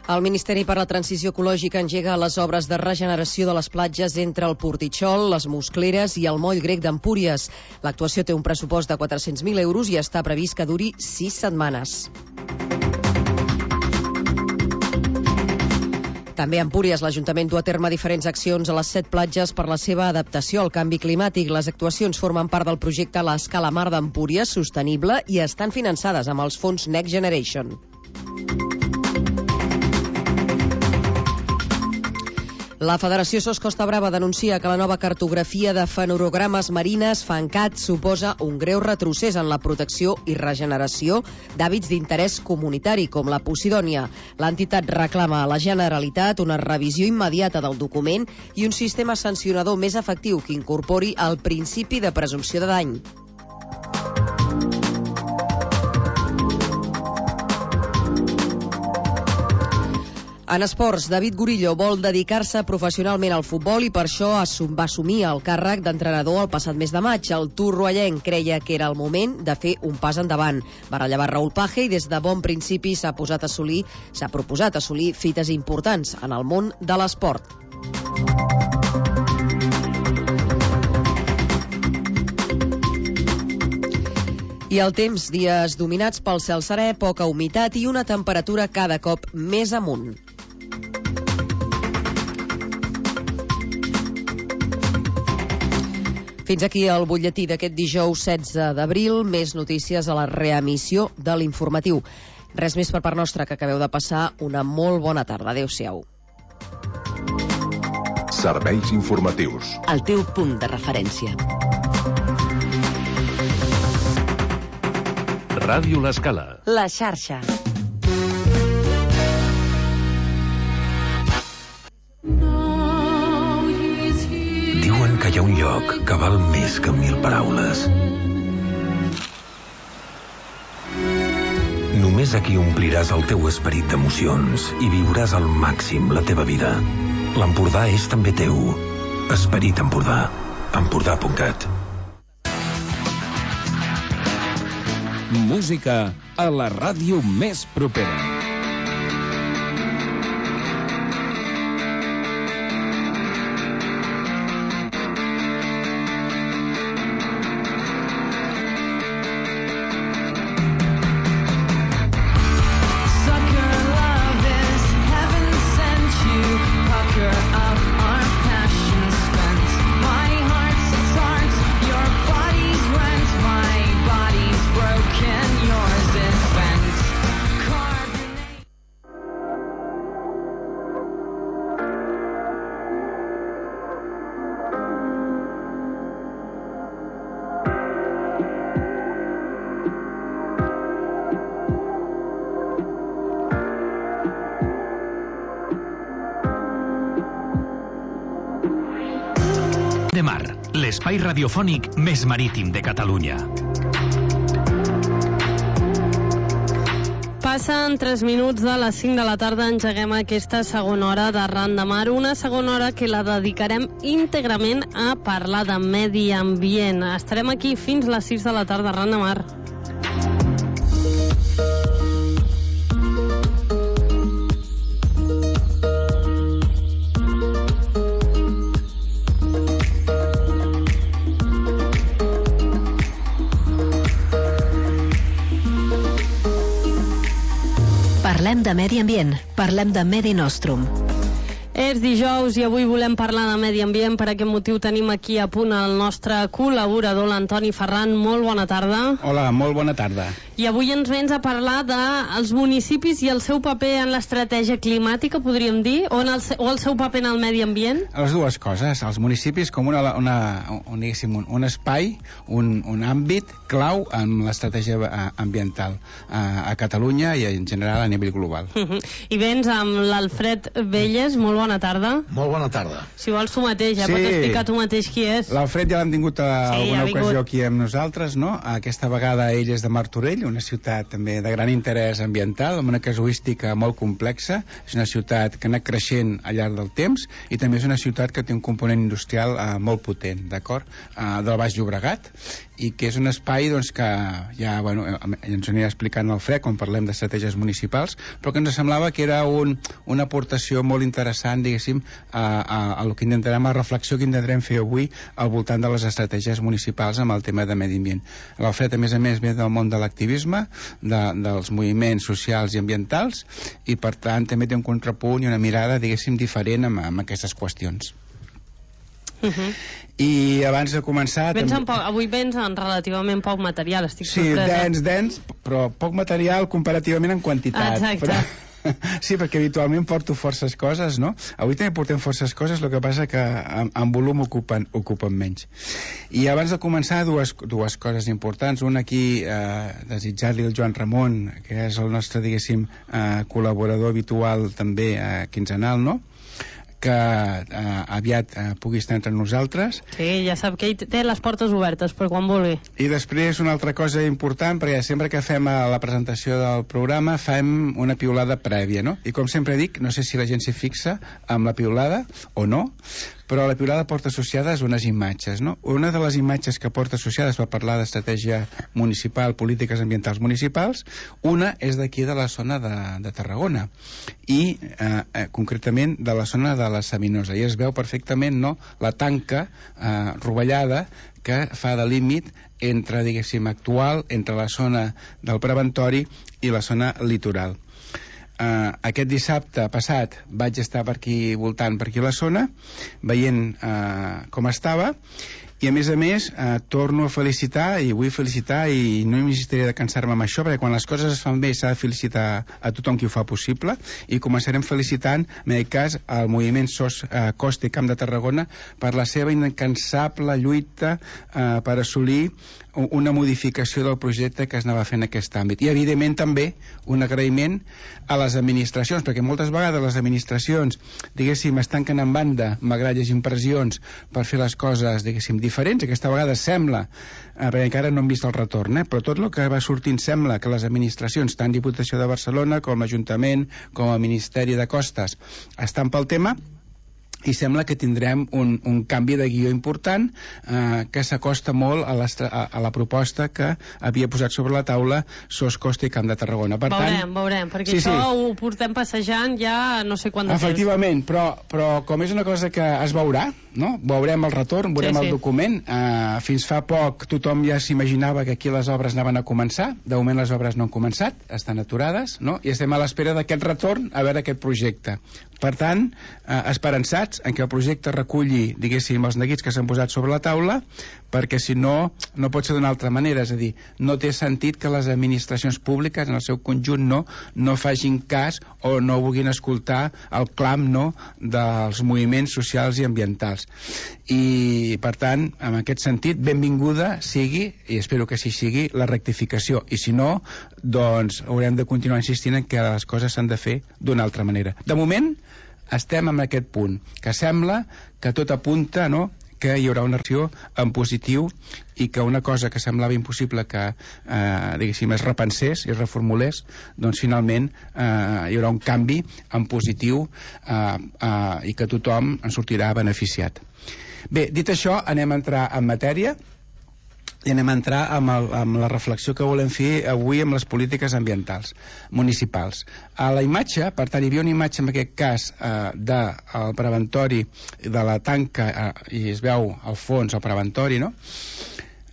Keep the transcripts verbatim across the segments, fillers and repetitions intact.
El Ministeri per la Transició Ecològica engega les obres de regeneració de les platges entre el Portitxol, les Muscleres i el Moll Grec d'Empúries. L'actuació té un pressupost de quatre-cents mil euros i està previst que duri sis setmanes. També a Empúries, l'Ajuntament du a terme diferents accions a les set platges per la seva adaptació al canvi climàtic. Les actuacions formen part del projecte L'Escala Mar d'Empúries Sostenible i estan finançades amb els fons Next Generation. La Federació S O S Costa Brava denuncia que la nova cartografia de fenorogrames marines, FENCAT, suposa un greu retrocés en la protecció i regeneració d'hàbits d'interès comunitari, com la posidònia. L'entitat reclama a la Generalitat una revisió immediata del document i un sistema sancionador més efectiu que incorpori el principi de presumpció de dany. En esports, David Gurillo vol dedicar-se professionalment al futbol i per això va assumir el càrrec d'entrenador el passat mes de maig. El torroellenc creia que era el moment de fer un pas endavant. Va rellevar Raúl Page i des de bon principi s'ha posat a assolir, s'ha proposat assolir fites importants en el món de l'esport. I el temps, dies dominats pel cel serè, poca humitat i una temperatura cada cop més amunt. Fins aquí el butlletí d'aquest dijous setze d'abril. Més notícies a la reemissió de l'informatiu. Res més per part nostra, que acabeu de passar una molt bona tarda. Adéu-siau. Serveis informatius. El teu punt de referència. Ràdio L'Escala. La xarxa. Diuen que hi ha un lloc que val més que mil paraules. Només aquí ompliràs el teu esperit d'emocions i viuràs al màxim la teva vida. L'Empordà és també teu. Esperit Empordà. Empordà punt cat. Música a la ràdio més propera. de Mar, l'espai radiofònic més marítim de Catalunya. Passen tres minuts de les cinc de la tarda, engeguem aquesta segona hora de Ran de Mar, una segona hora que la dedicarem íntegrament a parlar de medi ambient. Estarem aquí fins les sis de la tarda, Ran de Mar. Parlem de medi ambient, parlem de Medi Nostrum. És dijous i avui volem parlar de medi ambient. Per aquest motiu tenim aquí a punt el nostre col·laborador, l'Antoni Ferran. Molt bona tarda. Hola, molt bona tarda. I avui ens vens a parlar dels municipis i el seu paper en l'estratègia climàtica, podríem dir, o, en el, o el seu paper en el medi ambient? Les dues coses. Els municipis com una, una, un, un, un espai, un, un àmbit clau en l'estratègia ambiental a, a Catalunya i en general a nivell global. Uh -huh. I vens amb l'Alfred Velles. Molt bona Bona tarda. Molt bona tarda. Si vols tu mateix, ja sí. pots explicar tu mateix qui és. L'Alfred ja l'hem tingut a sí, alguna ja ocasió aquí amb nosaltres, no? Aquesta vegada ell és de Martorell, una ciutat també de gran interès ambiental, amb una casuística molt complexa. És una ciutat que ha anat creixent al llarg del temps i també és una ciutat que té un component industrial eh, molt potent, d'acord? Eh, del Baix Llobregat. i que és un espai doncs, que ja, bueno, ens ho anirà explicant el Fred quan parlem d'estratègies municipals, però que ens semblava que era un, una aportació molt interessant, diguéssim, a, a, a el que intentarem, a la reflexió que intentarem fer avui al voltant de les estratègies municipals amb el tema de medi ambient. L'Alfred, a més a més, ve del món de l'activisme, de, dels moviments socials i ambientals, i per tant també té un contrapunt i una mirada, diguéssim, diferent amb, amb aquestes qüestions. Uh -huh. I abans de començar vens també... poc, avui vens en relativament poc material, estic sí, sorpresa. Sí, dens, dens, però poc material comparativament en quantitat. Exacte. Però... Sí, perquè habitualment porto forces coses, no? Avui també portem forces coses, el que passa que en, en volum ocupen, ocupen menys. I abans de començar, dues, dues coses importants. Una aquí, eh, desitjar-li al Joan Ramon, que és el nostre, diguéssim, eh, col·laborador habitual també eh, quinzenal, no?, que eh, aviat eh, pugui estar entre nosaltres. Sí, ja sap que ell té les portes obertes per quan vulgui. I després una altra cosa important, perquè sempre que fem la presentació del programa fem una piulada prèvia, no? I com sempre dic, no sé si la gent s'hi fixa amb la piulada o no, però la piulada porta associades unes imatges, no? Una de les imatges que porta associades per parlar d'estratègia municipal, polítiques ambientals municipals, una és d'aquí de la zona de, de Tarragona i eh, eh, concretament de la zona de la Sabinosa, i es veu perfectament, no?, la tanca eh, rovellada que fa de límit entre, diguéssim, actual, entre la zona del preventori i la zona litoral. Uh, aquest dissabte passat vaig estar per aquí voltant per aquí la zona, veient uh, com estava, i a més a més uh, torno a felicitar, i vull felicitar, i no m'existiré de cansar-me amb això, perquè quan les coses es fan bé s'ha de felicitar a tothom qui ho fa possible, i començarem felicitant, en aquest cas, el moviment SOS uh, Costa i Camp de Tarragona per la seva incansable lluita uh, per assolir una modificació del projecte que es anava fent en aquest àmbit. I evidentment també un agraïment a les administracions, perquè moltes vegades les administracions, diguéssim, es tanquen en banda, malgrat hi hagi impressions, per fer les coses, diguéssim, diferents. Aquesta vegada sembla, eh, perquè encara no hem vist el retorn, eh, però tot el que va sortint sembla que les administracions, tant Diputació de Barcelona com l'Ajuntament, com el Ministeri de Costes, estan pel tema, i sembla que tindrem un, un canvi de guió important eh, que s'acosta molt a, a, a la proposta que havia posat sobre la taula SOS Costa i Camp de Tarragona. Per veurem, tant, veurem, perquè sí, això sí. ho portem passejant ja no sé quant de Efectivament, temps. Però, però com és una cosa que es veurà, no? Veurem el retorn, veurem sí, sí. el document. Eh, fins fa poc tothom ja s'imaginava que aquí les obres anaven a començar. De moment les obres no han començat, estan aturades, no? I estem a l'espera d'aquest retorn a veure aquest projecte. Per tant, eh, esperançats en què el projecte reculli, diguéssim, els neguits que s'han posat sobre la taula, perquè si no, no pot ser d'una altra manera. És a dir, no té sentit que les administracions públiques, en el seu conjunt, no, no facin cas o no vulguin escoltar el clam, no, dels moviments socials i ambientals. I, per tant, en aquest sentit, benvinguda sigui, i espero que així sigui, la rectificació. I si no, doncs haurem de continuar insistint en que les coses s'han de fer d'una altra manera. De moment, estem en aquest punt, que sembla que tot apunta, no?, que hi haurà una reacció en positiu i que una cosa que semblava impossible que, eh, diguéssim, es repensés i es reformulés, doncs finalment eh, hi haurà un canvi en positiu eh, eh, i que tothom en sortirà beneficiat. Bé, dit això, anem a entrar en matèria i anem a entrar amb, el, amb la reflexió que volem fer avui amb les polítiques ambientals municipals. A la imatge, per tant, hi havia una imatge en aquest cas eh, del preventori de la tanca eh, i es veu al fons el preventori, no?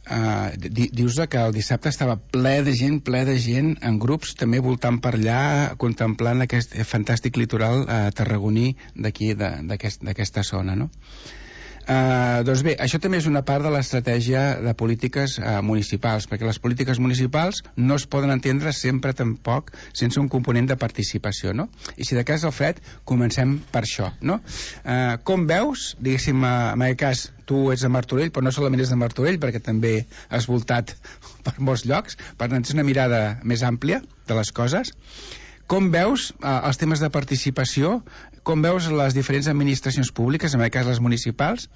Uh, di dius que el dissabte estava ple de gent, ple de gent en grups també voltant per allà, contemplant aquest fantàstic litoral uh, tarragoní d'aquí, d'aquesta aquest, zona, no? Uh, doncs bé, això també és una part de l'estratègia de polítiques uh, municipals, perquè les polítiques municipals no es poden entendre sempre tampoc sense un component de participació, no? I si de cas, Alfred, comencem per això, no? Uh, com veus, diguéssim, uh, en aquest cas tu ets de Martorell, però no solament ets de Martorell, perquè també has voltat per molts llocs, per tant és una mirada més àmplia de les coses. com veus eh, els temes de participació, com veus les diferents administracions públiques, en aquest cas les municipals,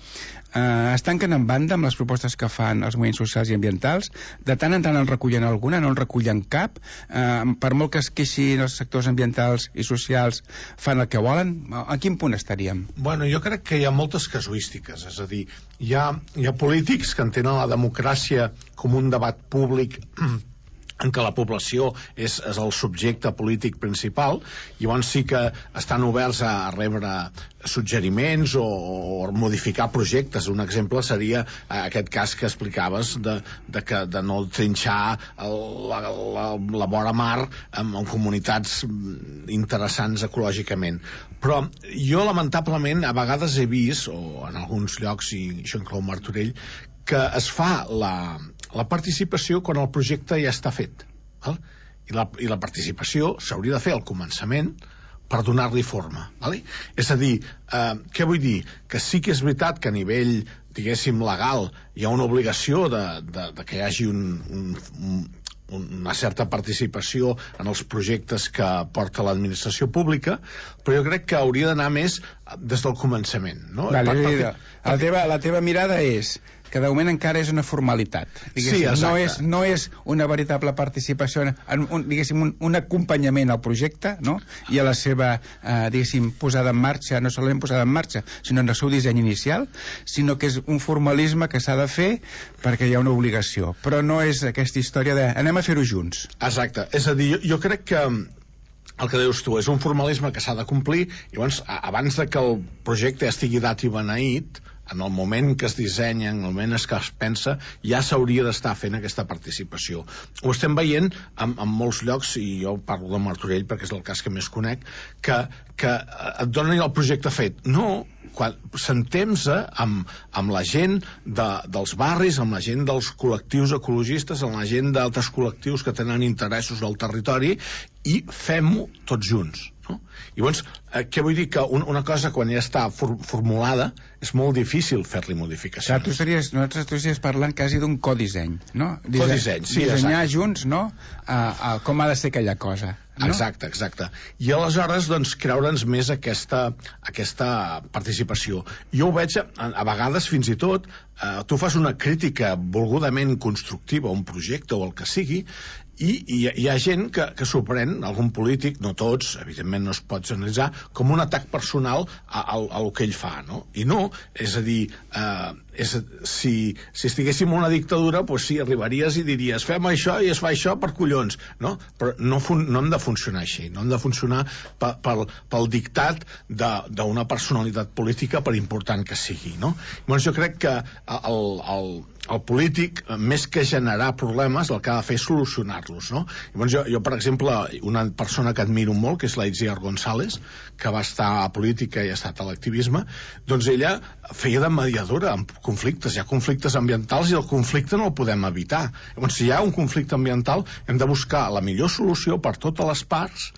eh, es tanquen en banda amb les propostes que fan els moviments socials i ambientals, de tant en tant en recullen alguna, no en recullen cap, eh, per molt que es queixin els sectors ambientals i socials, fan el que volen. A quin punt estaríem? Bueno, jo crec que hi ha moltes casuístiques, és a dir, hi ha, hi ha polítics que entenen la democràcia com un debat públic en què la població és, és el subjecte polític principal, i llavors sí que estan oberts a, a rebre suggeriments o, o modificar projectes. Un exemple seria aquest cas que explicaves de, de, que, de no trinxar el, la, la, la vora mar en, en comunitats interessants ecològicament. Però jo lamentablement a vegades he vist, o en alguns llocs, i això inclou Martorell, que es fa la, la participació quan el projecte ja està fet, val? I, la, i la participació s'hauria de fer al començament per donar-li forma, val? És a dir, eh, què vull dir? Que sí que és veritat que a nivell, diguéssim, legal hi ha una obligació de, de, de que hi hagi un, un, un, una certa participació en els projectes que porta l'administració pública, però jo crec que hauria d'anar més des del començament, no? Vale, per, perquè, la, teva, la teva mirada és que de moment encara és una formalitat. Sí, no, és, no és una veritable participació, en un, diguéssim, un, un acompanyament al projecte, no? I a la seva, eh, diguéssim, posada en marxa, no solament posada en marxa, sinó en el seu disseny inicial, sinó que és un formalisme que s'ha de fer perquè hi ha una obligació. Però no és aquesta història de anem a fer-ho junts. Exacte. És a dir, jo, jo crec que el que dius tu és un formalisme que s'ha de complir, i llavors, abans de que el projecte estigui dat i beneït, en el moment que es dissenya, en el moment que es pensa, ja s'hauria d'estar fent aquesta participació. Ho estem veient en, en molts llocs, i jo parlo de Martorell perquè és el cas que més conec, que, que et donen el projecte fet. No, quan sentem-se amb, amb la gent de, dels barris, amb la gent dels col·lectius ecologistes, amb la gent d'altres col·lectius que tenen interessos al territori, i fem-ho tots junts, no? I llavors, eh, què vull dir? Que un, una cosa quan ja està for, formulada és molt difícil fer-li modificacions. Clar, tu estaries, nosaltres tu estaries parlant quasi d'un codisseny, no? Dise Codisseny, sí, dissenyar exacte. junts, no? A, a com ha de ser aquella cosa, no? Exacte, exacte. I aleshores, doncs, creure'ns més aquesta, aquesta participació. Jo ho veig, a, a vegades, fins i tot, eh, tu fas una crítica volgudament constructiva a un projecte o el que sigui, i hi, hi ha gent que, que s'ho pren, algun polític, no tots, evidentment no es pot generalitzar, com un atac personal a, a, a el que ell fa, no? I no, és a dir, eh, és, si, si estiguéssim en una dictadura, doncs sí, arribaries i diries fem això i es fa això per collons, no? Però no, fun, no hem de funcionar així, no hem de funcionar pel, pel, pel dictat d'una personalitat política, per important que sigui, no? Llavors jo crec que el, el, el polític, més que generar problemes, el que ha de fer és solucionar-los, no? Llavors jo, jo, per exemple, una persona que admiro molt, que és la Itziar González, que va estar a política i ha estat a l'activisme, doncs ella feia de mediadora en conflictes. Hi ha conflictes ambientals i el conflicte no el podem evitar. Llavors, si hi ha un conflicte ambiental, hem de buscar la millor solució per totes les parts,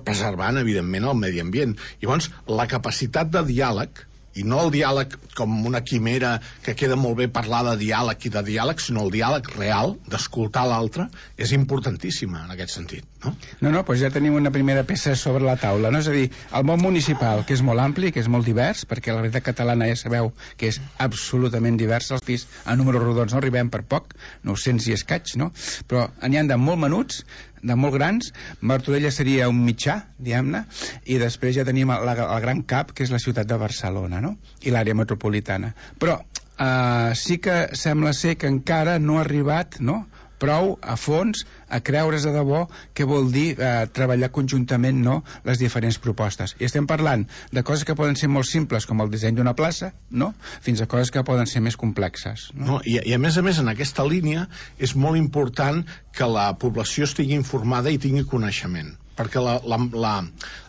preservant, evidentment, el medi ambient. Llavors, la capacitat de diàleg, i no el diàleg com una quimera que queda molt bé parlar de diàleg i de diàleg, sinó el diàleg real, d'escoltar l'altre, és importantíssima en aquest sentit, no? No, no, doncs ja tenim una primera peça sobre la taula, no? És a dir, el món municipal, que és molt ampli, que és molt divers, perquè la realitat catalana ja sabeu que és absolutament diversa, els pis a números rodons no arribem per poc, nou-cents i escaig, no? Però n'hi ha de molt menuts, de molt grans. Martorell seria un mitjà, diguem-ne, i després ja tenim el, el gran cap, que és la ciutat de Barcelona, no? I l'àrea metropolitana. Però eh, sí que sembla ser que encara no ha arribat, no?, prou a fons a creure's de debò què vol dir eh, treballar conjuntament, no?, les diferents propostes. I estem parlant de coses que poden ser molt simples, com el disseny d'una plaça, no?, fins a coses que poden ser més complexes, no? No, i, i a més a més en aquesta línia és molt important que la població estigui informada i tingui coneixement, perquè la, la, la,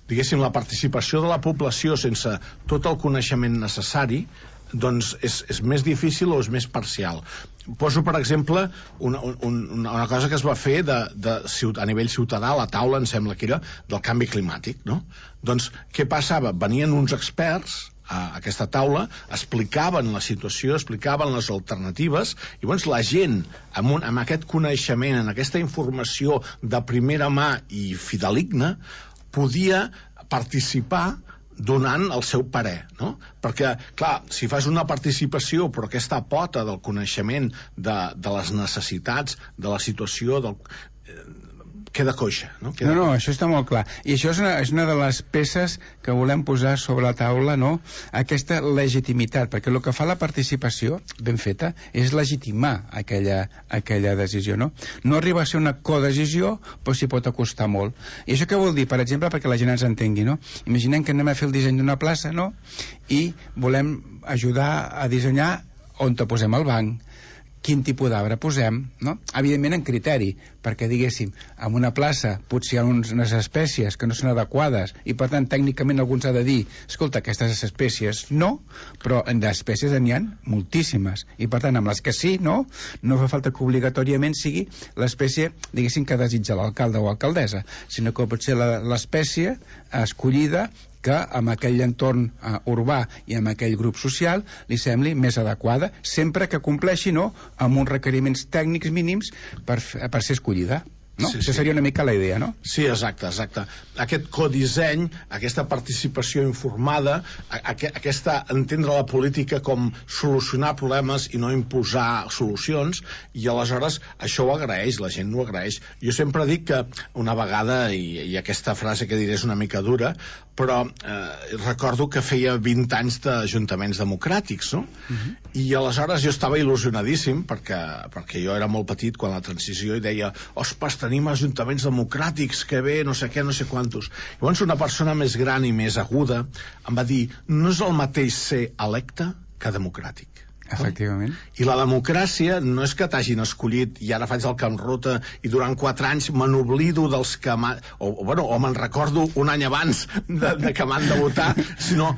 diguéssim, la participació de la població sense tot el coneixement necessari doncs és, és més difícil o és més parcial. Poso, per exemple, una, un, una cosa que es va fer de, de, a nivell ciutadà, a la taula, em sembla que era, del canvi climàtic, no? Doncs, què passava? Venien uns experts a aquesta taula, explicaven la situació, explicaven les alternatives, i llavors la gent, amb, un, amb aquest coneixement, amb aquesta informació de primera mà i fideligna, podia participar donant el seu parer, no? Perquè, clar, si fas una participació però aquesta pota del coneixement de, de les necessitats, de la situació, del... queda coixa, no? Queda no, no, això està molt clar. I això és una, és una de les peces que volem posar sobre la taula, no? Aquesta legitimitat, perquè el que fa la participació, ben feta, és legitimar aquella, aquella decisió, no? No arriba a ser una codecisió, però s'hi pot acostar molt. I això què vol dir? Per exemple, perquè la gent ens entengui, no? Imaginem que anem a fer el disseny d'una plaça, no? I volem ajudar a dissenyar on te posem el banc, quin tipus d'arbre posem, no? Evidentment en criteri, perquè diguéssim, en una plaça potser hi ha uns, unes espècies que no són adequades i per tant tècnicament alguns ha de dir, escolta, aquestes espècies no, però d'espècies n'hi ha moltíssimes i per tant amb les que sí, no, no fa falta que obligatòriament sigui l'espècie, diguéssim, que desitja l'alcalde o alcaldessa, sinó que pot ser l'espècie escollida que amb aquell entorn uh, urbà i amb aquell grup social li sembli més adequada, sempre que compleixi, no?, amb uns requeriments tècnics mínims per, per ser escollida. No? Sí, Això sí. seria una mica la idea, no? Sí, exacte, exacte. Aquest codisseny, aquesta participació informada, aqu aquesta entendre la política com solucionar problemes i no imposar solucions, i aleshores això ho agraeix, la gent ho agraeix. Jo sempre dic que una vegada, i, i aquesta frase que diré és una mica dura, però eh, recordo que feia vint anys d'ajuntaments democràtics, no? Uh-huh. I aleshores jo estava il·lusionadíssim, perquè, perquè jo era molt petit quan la transició, i deia, ostres, tenim ajuntaments democràtics, que bé, no sé què, no sé quantos. Llavors una persona més gran i més aguda em va dir, no és el mateix ser electe que democràtic. Efectivament. I la democràcia no és que t'hagin escollit i ara faig el camp ruta i durant quatre anys me n'oblido dels que o, o, bueno, o me'n recordo un any abans de, de que m'han de votar, sinó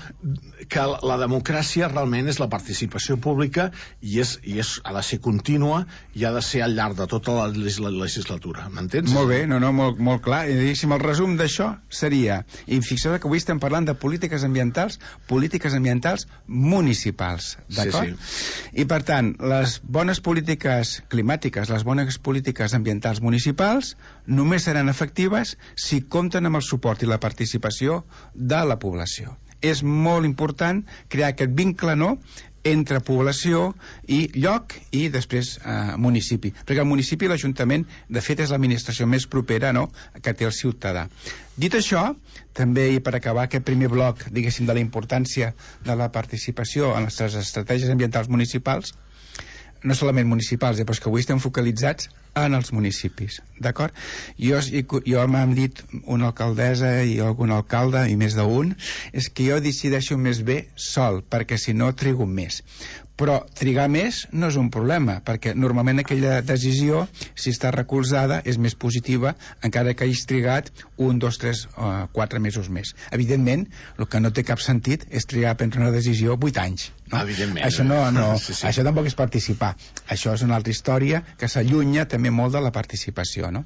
que la democràcia realment és la participació pública i, és, i és, ha de ser contínua i ha de ser al llarg de tota la legislatura, m'entens? Molt bé, no, no, molt, molt clar. I diguéssim, el resum d'això seria, i fixeu que avui estem parlant de polítiques ambientals, polítiques ambientals municipals, d'acord? Sí, sí. I per tant, les bones polítiques climàtiques, les bones polítiques ambientals municipals només seran efectives si compten amb el suport i la participació de la població. És molt important crear aquest vincle, no?, entre població i lloc i després eh, municipi, perquè el municipi i l'Ajuntament de fet és l'administració més propera, no?, que té el ciutadà. Dit això, també, i per acabar aquest primer bloc, diguéssim, de la importància de la participació en les estratègies ambientals municipals, no solament municipals, eh, però és que avui estem focalitzats en els municipis, d'acord? Jo, jo m'han dit una alcaldessa i algun alcalde, i més d'un, és que jo decideixo més bé sol, perquè si no trigo més. Però trigar més no és un problema, perquè normalment aquella decisió, si està recolzada, és més positiva, encara que hagis trigat un, dos, tres, uh, quatre mesos més. Evidentment, el que no té cap sentit és trigar a prendre una decisió vuit anys. No? Evidentment. Això, no, no, sí, sí. això tampoc és participar. Això és una altra història que s'allunya també molt de la participació, no?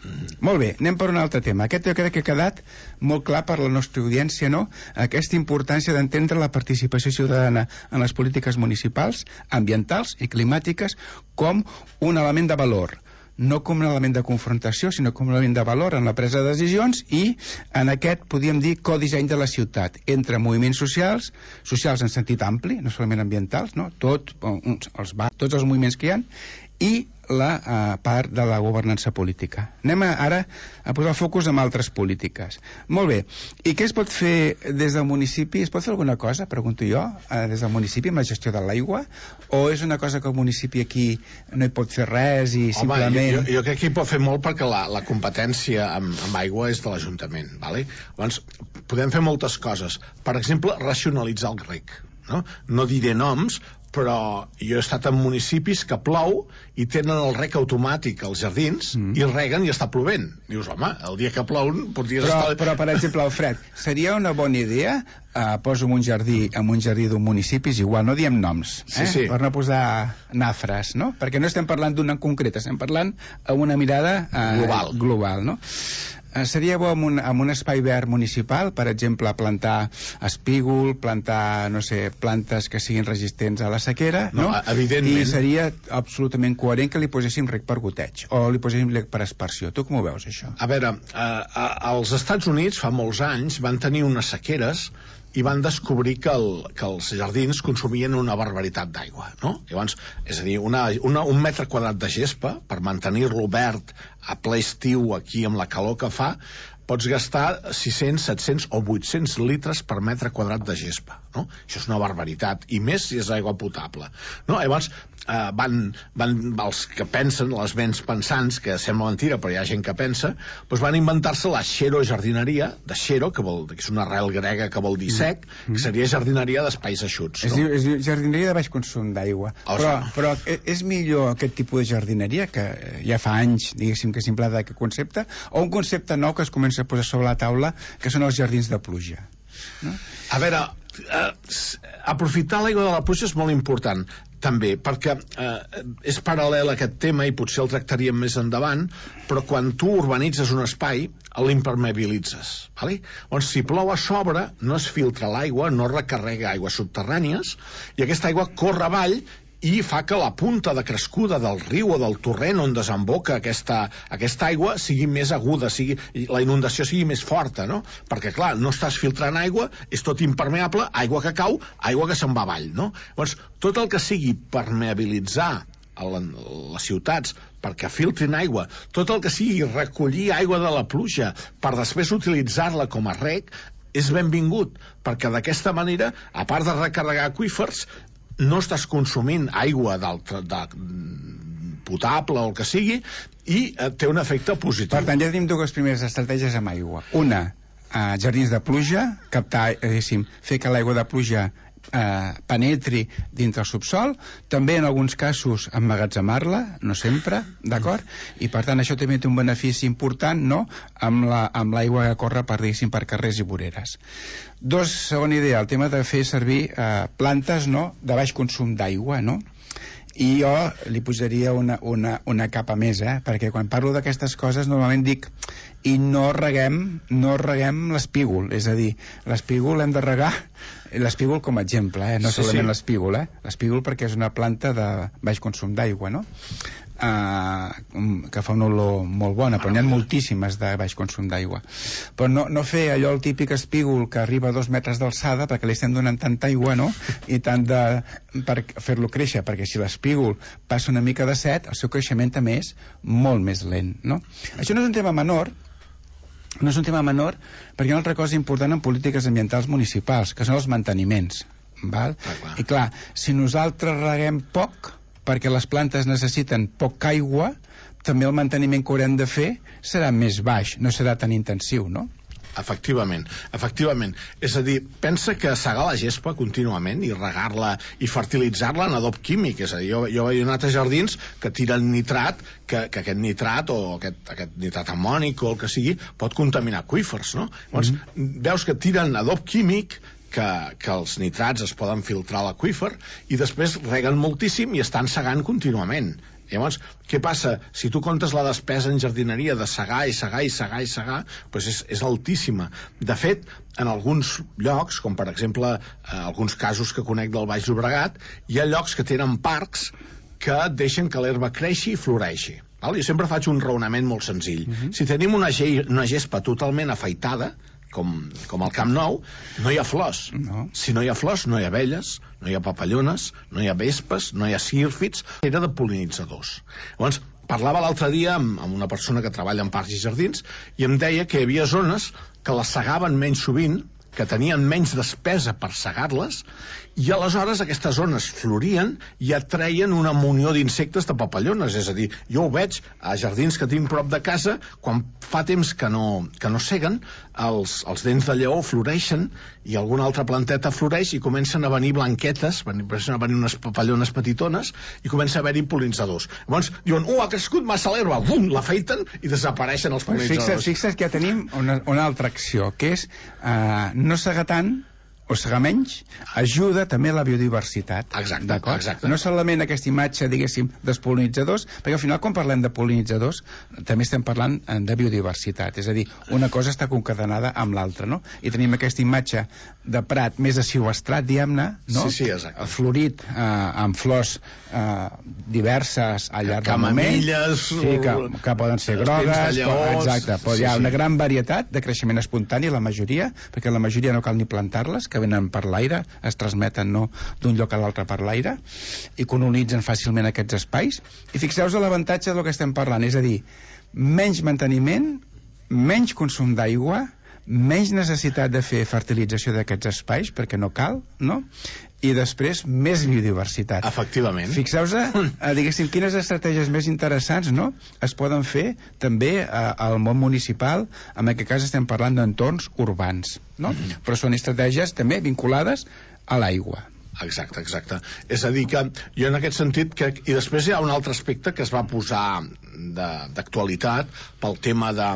Mm. Molt bé, anem per un altre tema. Aquest jo crec que ha quedat molt clar per la nostra audiència, no?, aquesta importància d'entendre la participació ciutadana en les polítiques municipals, ambientals i climàtiques com un element de valor, no com un element de confrontació, sinó com un element de valor en la presa de decisions i en aquest, podríem dir, codisseny de la ciutat, entre moviments socials, socials en sentit ampli, no solament ambientals, no?, Tot, els, tots els moviments que hi ha, i la uh, part de la governança política. Anem a, ara a posar el focus en altres polítiques. Molt bé, i què es pot fer des del municipi? Es pot fer alguna cosa, pregunto jo, uh, des del municipi amb la gestió de l'aigua? O és una cosa que el municipi aquí no hi pot fer res i Home, simplement... jo, jo crec que hi pot fer molt perquè la, la competència amb, amb aigua és de l'Ajuntament, ¿vale? Llavors, podem fer moltes coses. Per exemple, racionalitzar el reg, no? No diré noms, però jo he estat en municipis que plou i tenen el reg automàtic als jardins mm. i reguen i està plovent. Dius, home, el dia que plou podries però, estar... Però, per exemple, Alfred, seria una bona idea, eh, poso en un jardí, en un jardí d'un municipi, igual, no diem noms, eh? Sí, sí. Per no posar nafres, no? Perquè no estem parlant d'un en concret, estem parlant amb una mirada eh, global. global, no? seria bo en un, en un espai verd municipal, per exemple, plantar espígol, plantar, no sé, plantes que siguin resistents a la sequera, no? no? Evidentment. I seria absolutament coherent que li poséssim rec per goteig, o li poséssim rec per aspersió. Tu com ho veus, això? A veure, eh, als Estats Units fa molts anys van tenir unes sequeres i van descobrir que, el, que els jardins consumien una barbaritat d'aigua, no? Llavors, és a dir, una, una, un metre quadrat de gespa, per mantenir-lo verd a ple estiu aquí amb la calor que fa, pots gastar sis-cents, set-cents o vuit-cents litres per metre quadrat de gespa, no? Això és una barbaritat, i més si és aigua potable, no? Llavors, eh, van, van, els que pensen, les ments pensants, que sembla mentira, però hi ha gent que pensa, doncs van inventar-se la xerojardineria, de xero, que, vol, que és una arrel grega que vol dir sec, que seria jardineria d'espais eixuts, no? Es diu, es diu jardineria de baix consum d'aigua. Oh, però, sí. però és millor aquest tipus de jardineria, que ja fa anys, diguéssim, que s'implanta aquest concepte, o un concepte nou que es comença a posar sobre la taula, que són els jardins de pluja, no? A veure, eh, aprofitar l'aigua de la pluja és molt important també, perquè eh, és paral·lel a aquest tema i potser el tractaríem més endavant, però quan tu urbanitzes un espai l'impermeabilitzes, vale? Llavors, si plou a sobre no es filtra l'aigua, no recarrega aigües subterrànies i aquesta aigua corre avall i fa que la punta de crescuda del riu o del torrent on desemboca aquesta, aquesta aigua sigui més aguda, sigui, la inundació sigui més forta, no? Perquè, clar, no estàs filtrant aigua, és tot impermeable, aigua que cau, aigua que se'n va avall, no? Llavors, tot el que sigui permeabilitzar a la, a les ciutats perquè filtrin aigua, tot el que sigui recollir aigua de la pluja per després utilitzar-la com a reg, és benvingut, perquè d'aquesta manera, a part de recarregar aqüífers, no estàs consumint aigua d'altre, de, potable o el que sigui, i eh, té un efecte positiu. Per tant, ja tenim dues primeres estratègies amb aigua. Una, eh, jardins de pluja, captar, diguéssim, fer que l'aigua de pluja eh, penetri dintre el subsol, també en alguns casos emmagatzemar-la, no sempre, d'acord? I per tant això també té un benefici important, no?, amb la, amb l'aigua que corre per, diguéssim, per carrers i voreres. Dos, segona idea, el tema de fer servir eh, plantes, no?, de baix consum d'aigua, no?, i jo li posaria una, una, una capa més, eh? Perquè quan parlo d'aquestes coses normalment dic i no reguem, no reguem l'espígol, és a dir, l'espígol hem de regar l'espígol com a exemple, eh? No sí, solament sí. l'espígol, eh? L'espígol perquè és una planta de baix consum d'aigua, no? Uh, que fa una olor molt bona, però n'hi ha moltíssimes de baix consum d'aigua. Però no, no fer allò el típic espígol que arriba a dos metres d'alçada perquè li estem donant tanta aigua, no?, i tant de... per fer-lo créixer, perquè si l'espígol passa una mica de set, el seu creixement també és molt més lent, no? Això no és un tema menor, no és un tema menor perquè hi ha una altra cosa important en polítiques ambientals municipals, que són els manteniments, val? Ah, clar. I clar, si nosaltres reguem poc perquè les plantes necessiten poca aigua, també el manteniment que haurem de fer serà més baix, no serà tan intensiu, no? Efectivament, efectivament. És a dir, pensa que segar la gespa contínuament i regar-la i fertilitzar-la en adob químic, és a dir, jo, jo he anat a jardins que tiren nitrat, que, que aquest nitrat o aquest, aquest nitrat amònic o el que sigui pot contaminar aqüífers, no? Llavors, mm-hmm. veus que tiren adob químic que, que els nitrats es poden filtrar a l'aqüífer i després reguen moltíssim i estan segant contínuament. Llavors, què passa? Si tu comptes la despesa en jardineria de segar i segar i segar i segar, doncs és, és altíssima. De fet, en alguns llocs, com per exemple eh, alguns casos que conec del Baix Llobregat, hi ha llocs que tenen parcs que deixen que l'herba creixi i floreixi. Val? Jo sempre faig un raonament molt senzill. Uh-huh. Si tenim una, ge una gespa totalment afaitada, com, com el Camp Nou, no hi ha flors. No. Si no hi ha flors, no hi ha abelles, no hi ha papallones, no hi ha vespes, no hi ha sírfids, era de pol·linitzadors. Llavors, parlava l'altre dia amb, amb una persona que treballa en parcs i jardins i em deia que hi havia zones que les segaven menys sovint, que tenien menys despesa per segar-les, i aleshores aquestes zones florien i atreien una munió d'insectes de papallones. És a dir, jo ho veig a jardins que tinc prop de casa, quan fa temps que no, que no seguen, els, els dents de lleó floreixen i alguna altra planteta floreix i comencen a venir blanquetes, comencen a venir unes papallones petitones i comença a haver-hi pol·linitzadors. Llavors diuen, uh, ha crescut massa l'herba, bum, l'afeiten i desapareixen els pol·linitzadors. Fixa't, fixa't que ja tenim una, una altra acció, que és uh, no segar tant o segar menys, ajuda també a la biodiversitat. Exacte, exacte. No solament aquesta imatge, diguéssim, dels pol·linitzadors, perquè al final quan parlem de pol·linitzadors també estem parlant de biodiversitat, és a dir, una cosa està concadenada amb l'altra, no? I tenim aquesta imatge de prat més asilvestrat, diguem-ne, no? Sí, sí, exacte. Florit, eh, amb flors eh, diverses al llarg del moment. Camamilles, sí, que, que poden ser grogues, lleons, exacte, però sí, hi ha sí. una gran varietat de creixement espontani, la majoria, perquè la majoria no cal ni plantar-les, que venen per l'aire, es transmeten no d'un lloc a l'altre per l'aire, i colonitzen fàcilment aquests espais. I fixeu-vos l'avantatge del que estem parlant, és a dir, menys manteniment, menys consum d'aigua, menys necessitat de fer fertilització d'aquests espais, perquè no cal, no? I després més biodiversitat. Efectivament. Fixeu-vos, eh, diguéssim, quines estratègies més interessants, no?, es poden fer també eh, al món municipal, en aquest cas estem parlant d'entorns urbans, no? Mm-hmm. Però són estratègies també vinculades a l'aigua. Exacte, exacte. És a dir que jo en aquest sentit crec... I després hi ha un altre aspecte que es va posar d'actualitat pel tema de,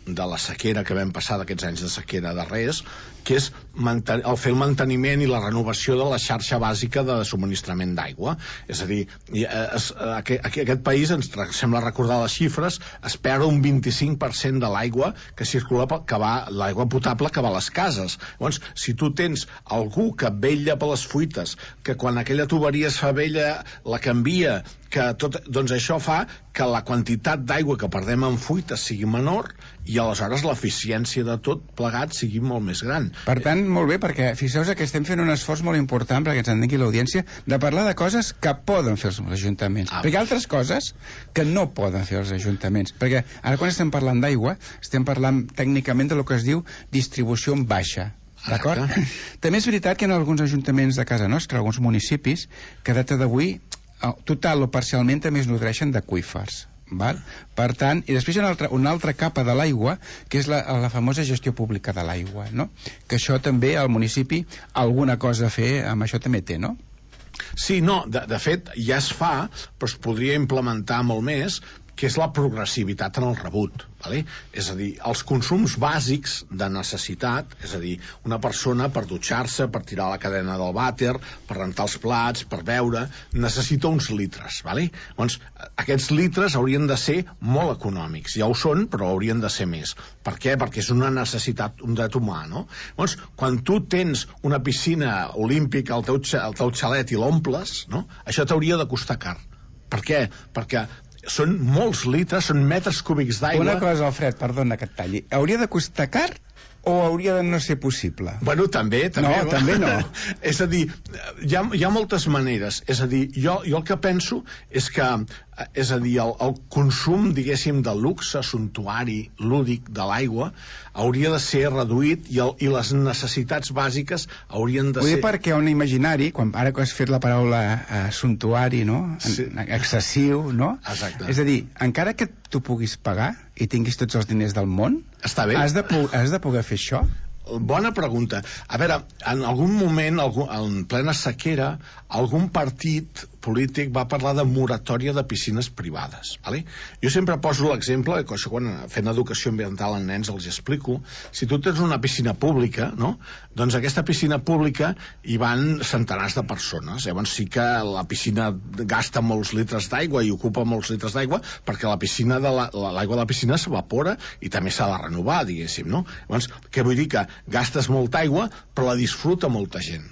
de la sequera que vam passar, d'aquests anys de sequera darrers, que és manten el fer el manteniment i la renovació de la xarxa bàsica de subministrament d'aigua. És a dir, es, aquí, aquí, aquest país, ens sembla recordar les xifres, es perd un vint-i-cinc per cent de l'aigua que circula, que va, l'aigua potable que va a les cases. Llavors, si tu tens algú que vetlla per les fuites, que quan aquella tuberia es fa vella la canvia, que tot, doncs això fa que la quantitat d'aigua que perdem en fuites sigui menor i aleshores l'eficiència de tot plegat sigui molt més gran. Per tant, molt bé, perquè fixeu-vos que estem fent un esforç molt important perquè ens entengui l'audiència de parlar de coses que poden fer els ajuntaments, ah. perquè hi ha altres coses que no poden fer els ajuntaments, perquè ara quan estem parlant d'aigua estem parlant tècnicament de lo que es diu distribució en baixa. D'acord? També és veritat que en alguns ajuntaments de casa nostra, alguns municipis, que a data d'avui total o parcialment també es nodreixen d'aqüífers. Val? Per tant, i després hi ha una altra, una altra capa de l'aigua, que és la, la famosa gestió pública de l'aigua, no? Que això també al municipi alguna cosa a fer amb això també té, no? Sí, no, de, de fet ja es fa, però es podria implementar molt més, que és la progressivitat en el rebut. Vale? És a dir, els consums bàsics de necessitat, és a dir, una persona per dutxar-se, per tirar la cadena del vàter, per rentar els plats, per beure, necessita uns litres. Vale? Doncs aquests litres haurien de ser molt econòmics. Ja ho són, però haurien de ser més. Per què? Perquè és una necessitat, un dret humà, no? Doncs, quan tu tens una piscina olímpica al teu, al teu xalet i l'omples, no? Això t'hauria de costar car. Per què? Perquè són molts litres, són metres cúbics d'aigua. Una cosa, Alfred, perdona que et talli. Hauria de costar car o hauria de no ser possible? Bueno, també, també. No, també no. És a dir, hi ha, hi ha moltes maneres. És a dir, jo, jo el que penso és que és a dir, el, el consum, diguéssim, de luxe, suntuari, lúdic de l'aigua hauria de ser reduït i, el, i les necessitats bàsiques haurien de Vull ser... dir perquè un imaginari, quan, ara que has fet la paraula eh, suntuari, no? Sí. Excessiu, no? Exacte. És a dir, encara que tu puguis pagar i tinguis tots els diners del món, està bé. Has de, has de poder fer això? Bona pregunta. A veure, en algun moment, en plena sequera, algun partit polític va parlar de moratòria de piscines privades. Vale? Jo sempre poso l'exemple, que això quan fent educació ambiental en nens els explico, si tu tens una piscina pública, no? Doncs aquesta piscina pública hi van centenars de persones. Llavors sí que la piscina gasta molts litres d'aigua i ocupa molts litres d'aigua perquè la piscina de la, l'aigua de la piscina s'evapora i també s'ha de renovar, diguéssim, no? Llavors, què vull dir? Que gastes molta aigua però la disfruta molta gent.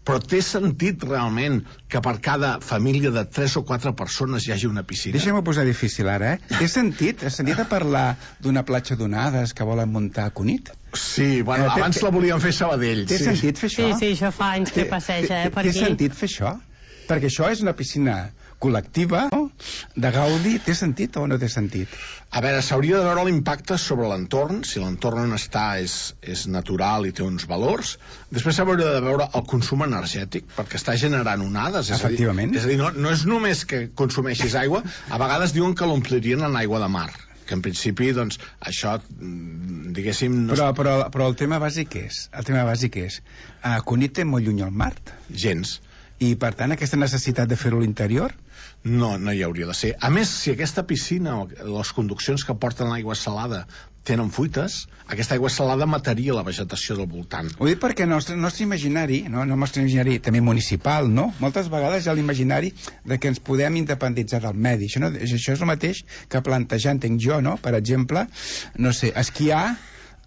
Però té sentit realment que per cada família de tres o quatre persones hi hagi una piscina? Deixa'm-ho posar difícil ara, eh? Té sentit? Has sentit a parlar d'una platja d'onades que volen muntar a Cunit? Sí, bueno, eh, abans la volíem fer a Sabadell. Té sí. sentit fer això? Sí, sí, això fa anys que passeja, eh, per aquí. Té sentit fer això? Perquè això és una piscina col·lectiva, no? De gaudi. Té sentit o no té sentit? A veure, s'hauria de veure l'impacte sobre l'entorn, si l'entorn on està és, és natural i té uns valors. Després s'hauria de veure el consum energètic, perquè està generant onades. Efectivament. És a dir, és a dir no, no és només que consumeixis aigua, a vegades diuen que l'omplirien en aigua de mar, que en principi, doncs, això, diguéssim... No però, però, però el tema bàsic és, el tema bàsic és, uh, Cunit té molt lluny al mar? Gens. I, per tant, aquesta necessitat de fer-ho a l'interior? No, no hi hauria de ser. A més, si aquesta piscina o les conduccions que porten l'aigua salada tenen fuites, aquesta aigua salada mataria la vegetació del voltant. Ho dic perquè el nostre, nostre imaginari, no, el nostre imaginari també municipal, no? Moltes vegades hi ha l'imaginari de que ens podem independitzar del medi. Això, no, això és el mateix que plantejar, entenc jo, no? Per exemple, no sé, esquiar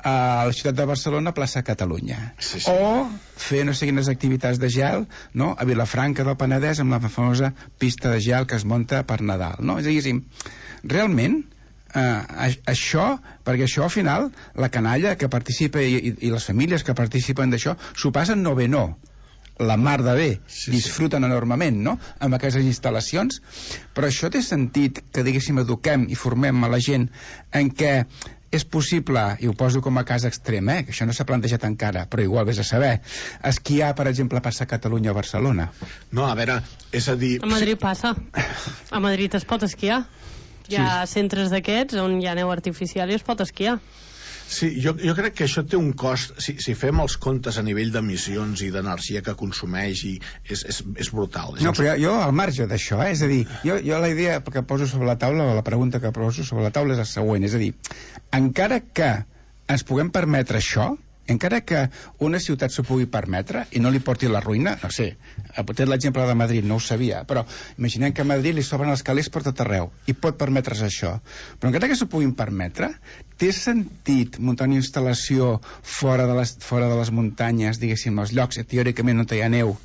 a la ciutat de Barcelona, plaça Catalunya. Sí, sí. O fer no sé quines activitats de gel, no? A Vilafranca del Penedès, amb la famosa pista de gel que es munta per Nadal, no? És a dir, realment, eh, això, perquè això al final, la canalla que participa i, i, i les famílies que participen d'això, s'ho passen no bé, no. La mar de bé, sí, disfruten sí. enormement, no?, amb aquestes instal·lacions, però això té sentit que, diguéssim, eduquem i formem a la gent en què és possible, i ho poso com a cas extrem, eh, que això no s'ha plantejat encara, però igual vés a saber, esquiar, per exemple, passa a Catalunya o a Barcelona. No, a veure, és a dir... A Madrid passa. A Madrid es pot esquiar. Hi ha sí. centres d'aquests on hi ha neu artificial i es pot esquiar. Sí, jo, jo crec que això té un cost, si, si fem els comptes a nivell d'emissions i d'energia que consumeix, i és, és, és brutal. És no, però jo, jo al marge d'això, eh, és a dir, jo, jo la idea que poso sobre la taula, o la pregunta que poso sobre la taula és la següent, és a dir, encara que ens puguem permetre això, encara que una ciutat s'ho pugui permetre i no li porti la ruïna, no sé, potser l'exemple de Madrid no ho sabia, però imaginem que a Madrid li s'obren els calés per tot arreu i pot permetre's això, però encara que s'ho puguin permetre, té sentit muntar una instal·lació fora de les, fora de les muntanyes, diguéssim, als llocs teòricament on hi ha neu?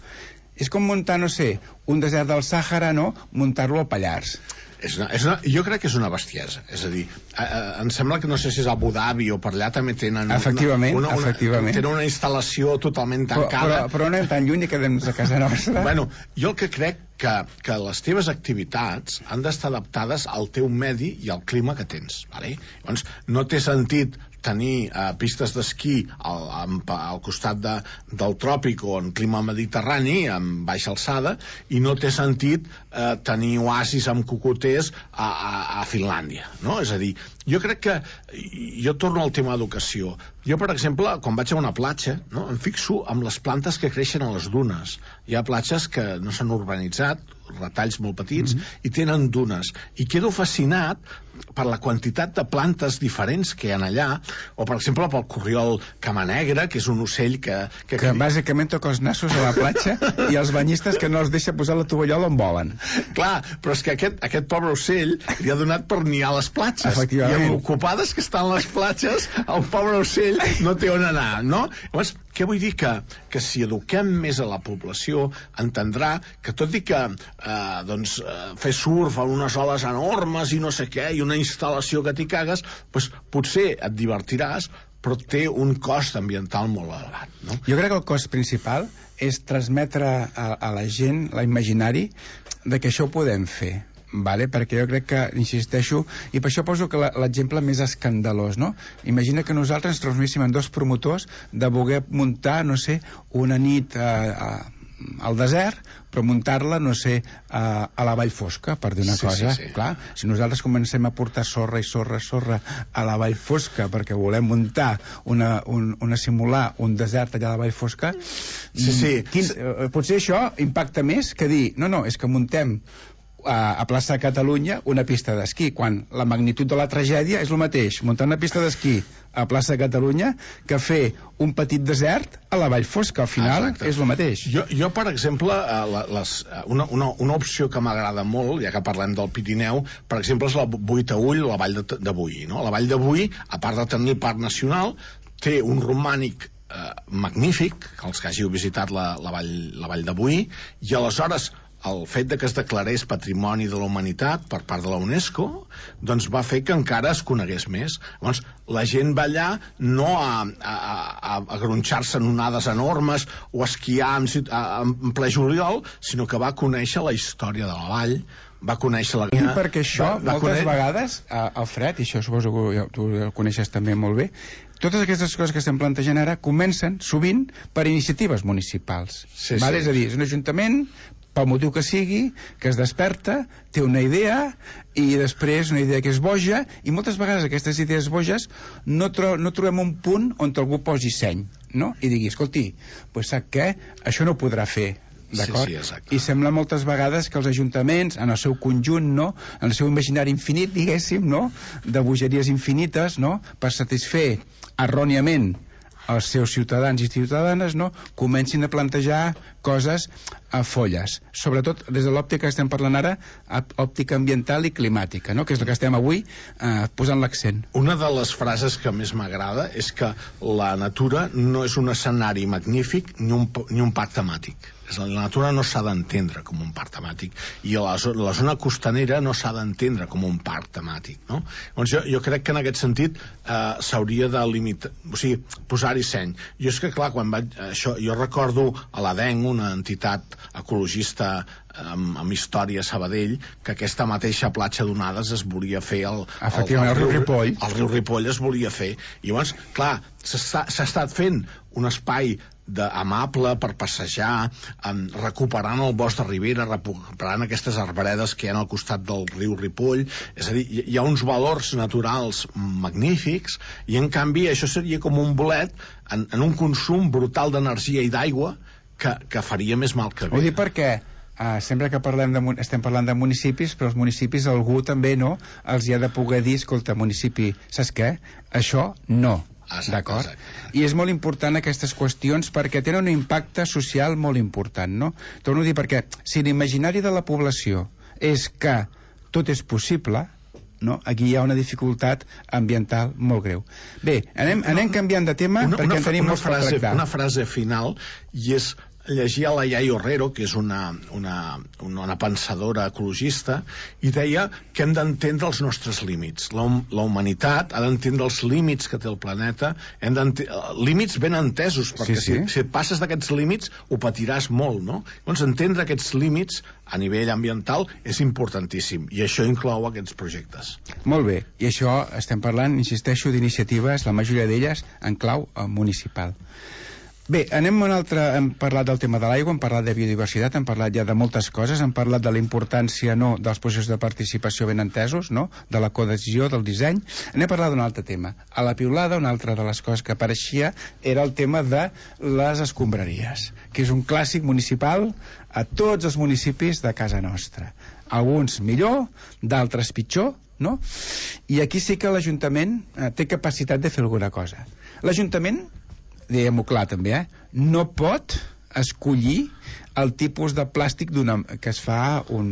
És com muntar, no sé, un desert del Sàhara, no?, muntar-lo al Pallars. És una, és una, jo crec que és una bestiesa, és a dir, eh, eh, em sembla que no sé si és a Abu Dhabi o per allà també tenen efectivament, una, una, efectivament. Una, tenen una instal·lació totalment tancada, però, però, però no anem tan lluny i quedem a casa nostra. Bueno, jo el que crec que, que les teves activitats han d'estar adaptades al teu medi i al clima que tens, vale? Llavors no té sentit tenir eh, pistes d'esquí al, al, al costat de, del tròpic o en clima mediterrani, amb baixa alçada, i no té sentit eh, tenir oasis amb cocoters a, a, a Finlàndia, no? És a dir, jo crec que, jo torno al tema d'educació, jo per exemple, quan vaig a una platja, no, em fixo amb les plantes que creixen a les dunes. Hi ha platges que no s'han urbanitzat, retalls molt petits, mm-hmm. i tenen dunes, i quedo fascinat per la quantitat de plantes diferents que hi ha allà, o per exemple pel corriol camanegra, que és un ocell que... Que, que bàsicament toca els nassos a la platja i els banyistes que no els deixa posar la tovallola on volen. Clar, però és que aquest, aquest pobre ocell li ha donat per niar a les platges, i amb ocupades que estan les platges, el pobre ocell no té on anar, no? Llavors, què vull dir? Que, que si eduquem més a la població, entendrà que tot i que eh, doncs, eh, fer surf a unes oles enormes i no sé què, i una instal·lació que t'hi cagues, doncs potser et divertiràs, però té un cost ambiental molt elevat, no? Jo crec que el cost principal és transmetre a, a la gent l'imaginari de que això ho podem fer. Vale? Perquè jo crec que, insisteixo, i per això poso que l'exemple més escandalós, no? Imagina que nosaltres ens transmíssim en dos promotors de voler muntar, no sé, una nit a, a, al desert, però muntar-la, no sé, a, a la Vall Fosca, per dir una sí, cosa. Sí, sí. Clar, si nosaltres comencem a portar sorra i sorra, sorra a la Vall Fosca perquè volem muntar una, un, una simular un desert allà a la Vall Fosca, sí, sí. Quin, eh, potser això impacta més que dir, no, no, és que muntem a, a plaça Catalunya una pista d'esquí, quan la magnitud de la tragèdia és el mateix, muntar una pista d'esquí a plaça Catalunya que fer un petit desert a la Vall Fosca, al final exacte. És el mateix. Jo, jo per exemple, les, una, una, una opció que m'agrada molt, ja que parlem del Pirineu, per exemple és la Boí-Taüll, la Vall de, de Boí, no? La Vall de Boí, a part de tenir el Parc Nacional, té un romànic eh, magnífic, els que hàgiu visitat la, la, vall, la Vall de Boí, i aleshores el fet de que es declarés Patrimoni de la Humanitat per part de la UNESCO, doncs va fer que encara es conegués més. Llavors, la gent va allà no a, a, a, a gronxar-se en onades enormes o a esquiar en, en ple juliol, sinó que va conèixer la història de la vall, va conèixer la... I perquè això, va, va moltes conèixer... vegades, Alfred, i això suposo que tu ho coneixes també molt bé, totes aquestes coses que estem plantejant ara comencen, sovint, per iniciatives municipals. Sí, vale? sí. És a dir, és un ajuntament, pel motiu que sigui, que es desperta, té una idea, i després una idea que és boja, i moltes vegades aquestes idees boges no, tro no trobem un punt on algú posi seny, no? I digui, escolti, pues sap què? Això no ho podrà fer d'acord? Sí, sí, I sembla moltes vegades que els ajuntaments, en el seu conjunt, no?, en el seu imaginari infinit, diguéssim, no?, de bogeries infinites, no?, per satisfer erròniament els seus ciutadans i ciutadanes, no?, comencin a plantejar coses a folles, sobretot des de l'òptica que estem parlant ara, òptica ambiental i climàtica, no?, que és el que estem avui eh, posant l'accent. Una de les frases que més m'agrada és que la natura no és un escenari magnífic ni un, ni un parc temàtic. La natura no s'ha d'entendre com un parc temàtic i la, la zona costanera no s'ha d'entendre com un parc temàtic, no? Llavors jo, jo crec que en aquest sentit eh, s'hauria de limitar, o sigui, posar-hi seny. Jo és que clar, quan vaig, això, jo recordo a l'Adenc, una entitat ecologista amb, amb història a Sabadell, que aquesta mateixa platja d'onades es volia fer el, efectivament, el, el, el riu Ripoll el riu Ripoll es volia fer, i llavors, clar, s'ha estat fent un espai de, amable per passejar, um, recuperant el bosc de Ribera, recuperant aquestes arbredes que hi ha al costat del riu Ripoll. És a dir, hi ha uns valors naturals magnífics i en canvi això seria com un bolet en, en un consum brutal d'energia i d'aigua que, que faria més mal que bé. Ho dic perquè Uh, sempre que parlem de, estem parlant de municipis, però els municipis algú també no els hi ha de poder dir, escolta, municipi, saps què? Això no. D'acord? I és molt important aquestes qüestions perquè tenen un impacte social molt important, no? Torno a dir perquè si l'imaginari de la població és que tot és possible, no? Aquí hi ha una dificultat ambiental molt greu. Bé, anem, anem canviant de tema una, perquè una, en tenim una molts per frase, tractar. Una frase final, i és llegia la Yai Herrero, que és una, una, una pensadora ecologista, i deia que hem d'entendre els nostres límits. La, la humanitat ha d'entendre els límits que té el planeta, hem límits ben entesos, perquè sí, sí. Si, si et passes d'aquests límits ho patiràs molt, no? Llavors, entendre aquests límits a nivell ambiental és importantíssim, i això inclou aquests projectes. Molt bé, i això estem parlant, insisteixo, d'iniciatives, la majoria d'elles en clau municipal. Bé, anem a un altre, hem parlat del tema de l'aigua, hem parlat de biodiversitat, hem parlat ja de moltes coses, hem parlat de la importància no, dels processos de participació ben entesos, no, de la codecisió, del disseny. Anem a parlar d'un altre tema. A la piulada, una altra de les coses que apareixia era el tema de les escombraries, que és un clàssic municipal a tots els municipis de casa nostra. Alguns millor, d'altres pitjor, no? I aquí sí que l'Ajuntament eh, té capacitat de fer alguna cosa. L'Ajuntament, diguem-ho clar també, eh? no pot escollir el tipus de plàstic que es fa un,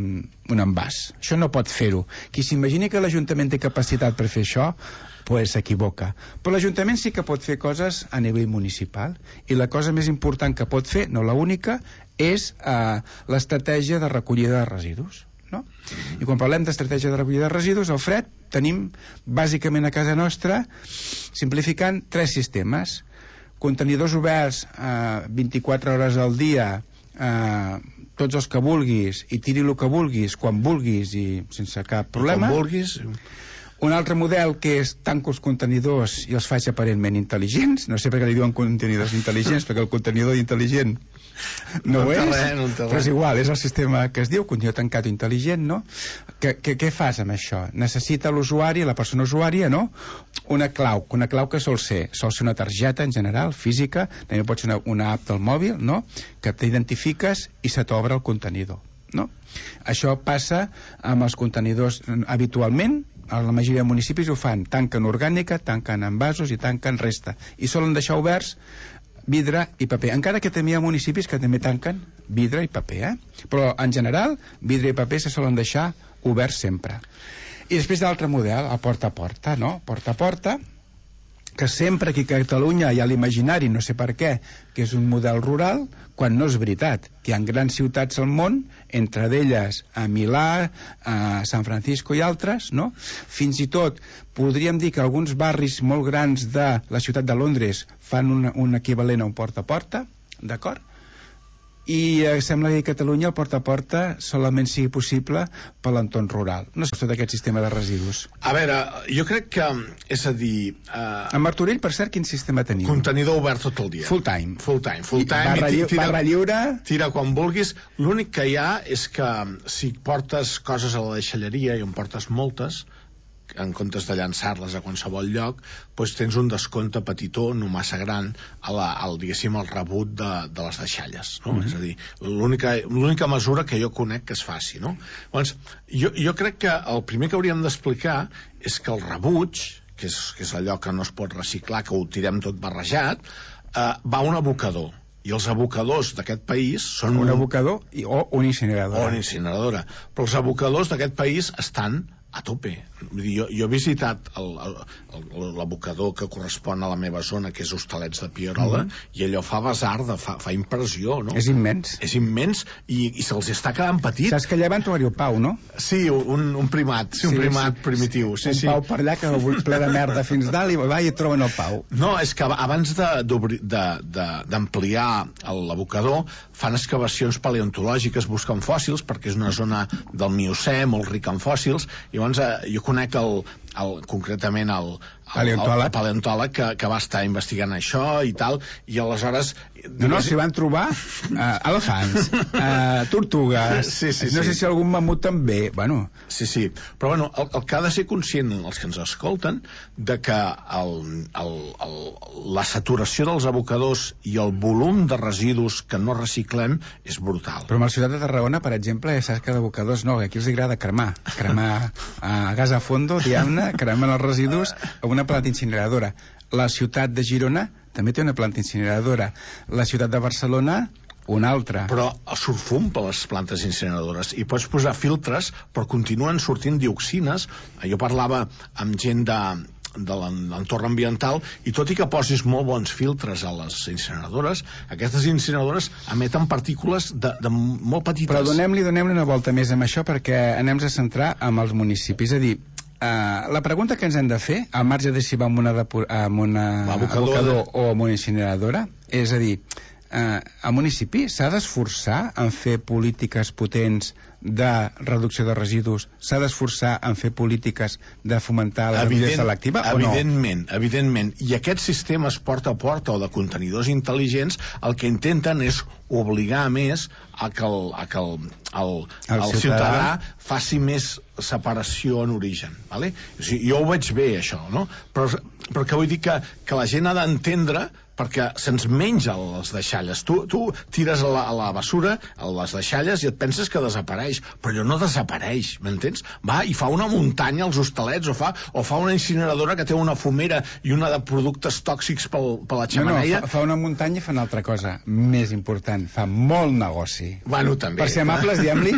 un envàs. Això no pot fer-ho. Qui s'imagini que l'Ajuntament té capacitat per fer això, pues s'equivoca. Però l'Ajuntament sí que pot fer coses a nivell municipal, i la cosa més important que pot fer, no la única, és eh, l'estratègia de recollida de residus. No? I quan parlem d'estratègia de recollida de residus, al Fred tenim bàsicament a casa nostra, simplificant, tres sistemes. Contenidors oberts eh, vint-i-quatre hores al dia, eh, tots els que vulguis, i tiri el que vulguis, quan vulguis i sense cap problema. Quan vulguis. Un altre model que és tanco els contenidors i els faig aparentment intel·ligents. No sé per què li diuen contenidors intel·ligents, perquè el contenidor intel·ligent no, no ho és, res, no però és igual, és el sistema que es diu contenidor tancat intel·ligent, no? Que, que, què fas amb això? Necessita l'usuari, la persona usuària, no? Una clau, una clau que sol ser, sol ser una targeta en general, física, també pot ser una, una app del mòbil, no? Que t'identifiques i se t'obre el contenidor, no? Això passa amb els contenidors habitualment. A la majoria de municipis ho fan, tanquen orgànica, tanquen envasos i tanquen resta, i solen deixar oberts vidre i paper, encara que també hi ha municipis que també tanquen vidre i paper, eh? Però en general vidre i paper se solen deixar oberts sempre. I després d'altre model, el porta a porta, no? Porta a porta, que sempre aquí a Catalunya hi ha l'imaginari, no sé per què, que és un model rural, quan no és veritat, que hi ha grans ciutats al món, entre d'elles a Milà, a San Francisco i altres, no? Fins i tot podríem dir que alguns barris molt grans de la ciutat de Londres fan un, un equivalent a un porta a porta, d'acord? I eh, sembla que a Catalunya el porta a porta solament sigui possible per l'entorn rural. No sé tot aquest sistema de residus. A veure, jo crec que, és a dir... Eh, a Martorell, per cert, quin sistema teniu? Contenidor obert tot el dia. Full time. Full time. Full time. I barra, I tira, barra lliure... Tira quan vulguis. L'únic que hi ha és que si portes coses a la deixalleria i en portes moltes, en comptes de llançar-les a qualsevol lloc, doncs tens un descompte petitó, no massa gran, a la, al, diguéssim, al rebut de, de les deixalles, no? Mm-hmm. És a dir, l'única, l'única mesura que jo conec que es faci, no? Llavors, jo, jo crec que el primer que hauríem d'explicar és que el rebuig, que és, que és allò que no es pot reciclar, que ho tirem tot barrejat, eh, va a un abocador. I els abocadors d'aquest país són... Un abocador i, o una incineradora. O una incineradora. Però els abocadors d'aquest país estan a tope. Vull dir, jo, jo he visitat l'abocador que correspon a la meva zona, que és Hostalets de Pierola, mm-hmm. i allò fa basar, de, fa, fa impressió, no? És immens. És immens i, i se'ls està quedant petit. Saps que allà van trobar-hi un pau, no? Sí, un, un primat, sí, un sí, primat sí, primitiu. Sí, un sí. pau per allà que ple de merda fins dalt i va i et troben el pau. No, és que abans d'ampliar de, de, l'abocador fan excavacions paleontològiques, busquen fòssils, perquè és una zona del Miocè molt rica en fòssils, i llavors eh, jo conec el, el, concretament el, el, paleontòleg, el paleontòleg que, que va estar investigant això i tal, i aleshores... No, no, s'hi van trobar uh, elefants, uh, tortugues, sí, sí, no sí. sé si algun mamut també, bueno... Sí, sí, però bueno, el, el que ha de ser conscient els que ens escolten de que el, el, el, la saturació dels abocadors i el volum de residus que no reciclem és brutal. Però a la ciutat de Tarragona, per exemple, ja saps que d'abocadors no, aquí els agrada cremar, cremar a gas a fondo, diguem-ne, cremen els residus a una planta incineradora. La ciutat de Girona també té una planta incineradora. La ciutat de Barcelona, una altra. Però surt fum per les plantes incineradores i pots posar filtres, però continuen sortint dioxines. Jo parlava amb gent de, de l'entorn ambiental i tot i que posis molt bons filtres a les incineradores, aquestes incineradores emeten partícules de, de molt petites. Però donem-li donem-li una volta més amb això perquè anem a centrar amb els municipis. És a dir, Uh, la pregunta que ens hem de fer, al marge de si va amb una, amb una abocador o amb una incineradora, és a dir, uh, el municipi s'ha d'esforçar en fer polítiques potents de reducció de residus, s'ha d'esforçar en fer polítiques de fomentar la revisió selectiva o no? Evidentment, evidentment. I aquests sistemes porta a porta o de contenidors intel·ligents el que intenten és obligar més a que el, a que el, el, el, el ciutadà, ciutadà faci més separació en origen, vale? O sigui, jo ho veig bé això, no? Però, però que vull dir que, que la gent ha d'entendre perquè se'ns menja les deixalles. Tu, tu tires a la, a la bessura a les deixalles i et penses que desapareix, però allò no desapareix, m'entens? Va i fa una muntanya als Hostalets o fa, o fa una incineradora que té una fumera i una de productes tòxics pel, per la xemeneia. No, no, fa, fa una muntanya i fa una altra cosa més important, fa molt negoci. Bueno, també. Per ser amables, diguem-li,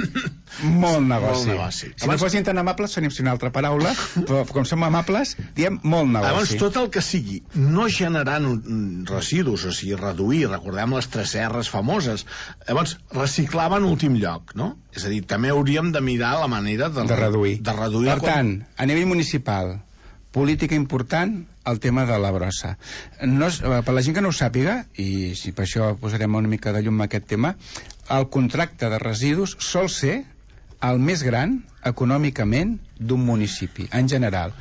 molt negoci. Molt negoci. Si Abans... no fossin tan amables, seria una altra paraula, però com som amables, diem molt negoci. Abans, tot el que sigui no generant un residus, o sigui, reduir, recordem les tres erres famoses, llavors reciclar en últim lloc, no? És a dir, també hauríem de mirar la manera de, de reduir. De reduir per tant, a nivell municipal, política important, el tema de la brossa. No és, per la gent que no ho sàpiga, i si per això posarem una mica de llum a aquest tema, el contracte de residus sol ser el més gran econòmicament d'un municipi, en general.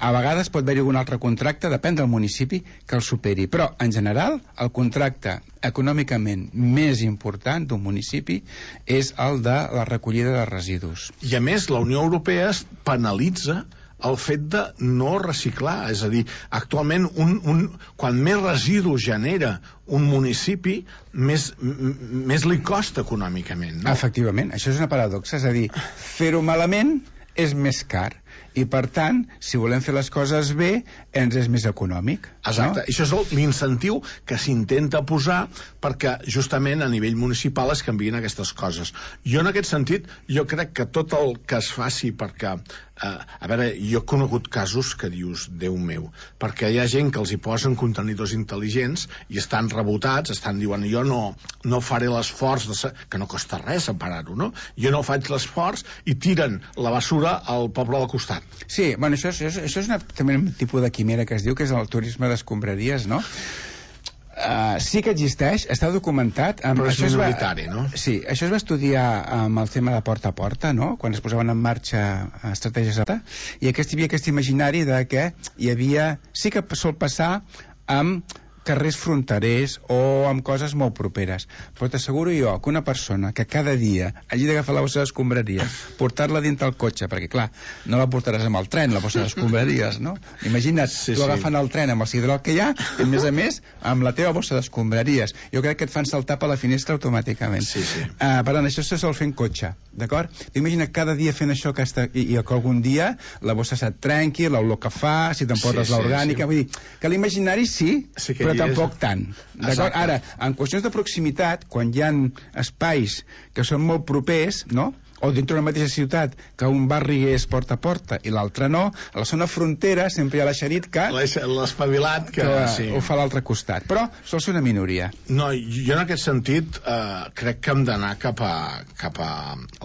A vegades pot haver-hi algun altre contracte, depèn del municipi, que el superi, però en general el contracte econòmicament més important d'un municipi és el de la recollida de residus. I a més la Unió Europea penalitza el fet de no reciclar, és a dir, actualment un, un, quan més residus genera un municipi, més, més li costa econòmicament, no? Efectivament, això és una paradoxa, és a dir, fer-ho malament és més car i per tant, si volem fer les coses bé, ens és més econòmic. Exacte, no? Això és l'incentiu que s'intenta posar perquè justament a nivell municipal es canvien aquestes coses. Jo en aquest sentit, jo crec que tot el que es faci perquè, eh, a veure, jo he conegut casos que dius, Déu meu, perquè hi ha gent que els hi posen contenidors intel·ligents i estan rebotats, estan diuen, jo no, no faré l'esforç, de que no costa res separar-ho, no? Jo no faig l'esforç i tiren la bessura al poble del costat. Sí, bueno, això, això, això és una, també un tipus de quimera que es diu, que és el turisme d'escombraries, no? Uh, sí que existeix, està documentat amb, però és això minoritari, va, no? Sí, això es va estudiar amb el tema de porta a porta, no? Quan es posaven en marxa estratègies i aquest, hi havia aquest imaginari de que hi havia, sí que sol passar amb carrers fronterers o amb coses molt properes. Però t'asseguro jo que una persona que cada dia hagi d'agafar la bossa d'escombraries, portar-la dintre el cotxe, perquè clar, no la portaràs amb el tren, la bossa d'escombraries, no? Imagina't, sí, tu agafant sí. el tren amb el sidrol que hi ha, i a més a més, amb la teva bossa d'escombraries. Jo crec que et fan saltar per la finestra automàticament. Sí, sí. Uh, per tant, això se sol fer en cotxe, d'acord? Imagina't cada dia fent això que està, i, i que algun dia la bossa se't trenqui, l'olor que fa, si t'emportes sí, l'orgànica, sí, sí. Vull dir, que l'imaginari sí, sí però tampoc és... tant. D'acord? Ara, en qüestions de proximitat, quan hi ha espais que són molt propers, no?, o dintre d'una mateixa ciutat, que un barri és porta a porta i l'altre no, a la zona frontera sempre hi ha l'eixerit que... l'espavilat que... que sí. ho fa a l'altre costat. Però sol ser una minoria. No, jo en aquest sentit eh, crec que hem d'anar cap a, cap a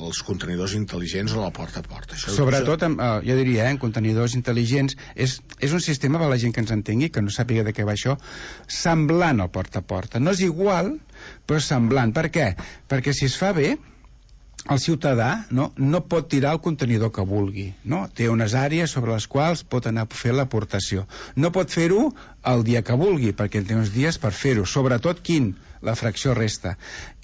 els contenidors intel·ligents o la porta a porta. Això Sobretot, amb, eh, jo diria, eh, en contenidors intel·ligents, és, és un sistema, per la gent que ens entengui, que no sàpiga de què va això, semblant al porta a porta. No és igual, però semblant. Per què? Perquè si es fa bé, el ciutadà no, no pot tirar el contenidor que vulgui, no? Té unes àrees sobre les quals pot anar a fer l'aportació. No pot fer-ho el dia que vulgui, perquè té uns dies per fer-ho. Sobretot quin? La fracció resta.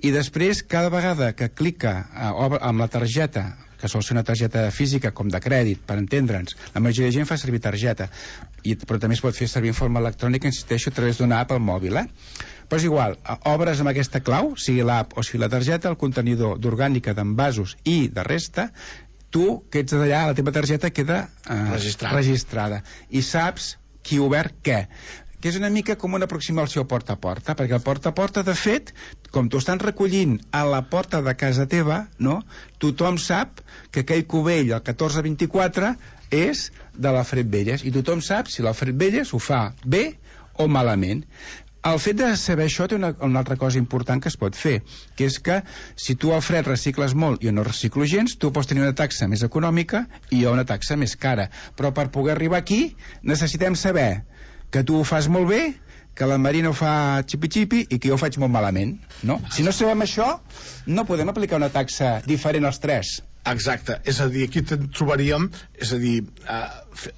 I després, cada vegada que clica eh, amb la targeta, que sol ser una targeta física com de crèdit, per entendre'ns, la majoria de gent fa servir targeta, i, però també es pot fer servir en forma electrònica, insisteixo, a través d'una app al mòbil, eh? Però és igual, obres amb aquesta clau, sigui l'app o sigui la targeta, el contenidor d'orgànica, d'envasos i de resta, tu, que ets d'allà, la teva targeta queda eh, registrada. registrada. I saps qui ha obert què. Que és una mica com una aproximació porta a porta, perquè el porta a porta, de fet, com t'ho estan recollint a la porta de casa teva, no? Tothom sap que aquell cubell, el catorze vint-i-quatre, és de l'Alfred Belles, i tothom sap si l'Alfred Belles ho fa bé o malament. El fet de saber això té una, una altra cosa important que es pot fer, que és que si tu, Alfred, recicles molt i jo no reciclo gens, tu pots tenir una taxa més econòmica i jo una taxa més cara. Però per poder arribar aquí necessitem saber que tu ho fas molt bé, que la Marina ho fa xipi-xipi i que jo ho faig molt malament, no? Si no sabem això, no podem aplicar una taxa diferent als tres. Exacte, és a dir, aquí trobaríem, és a dir, eh,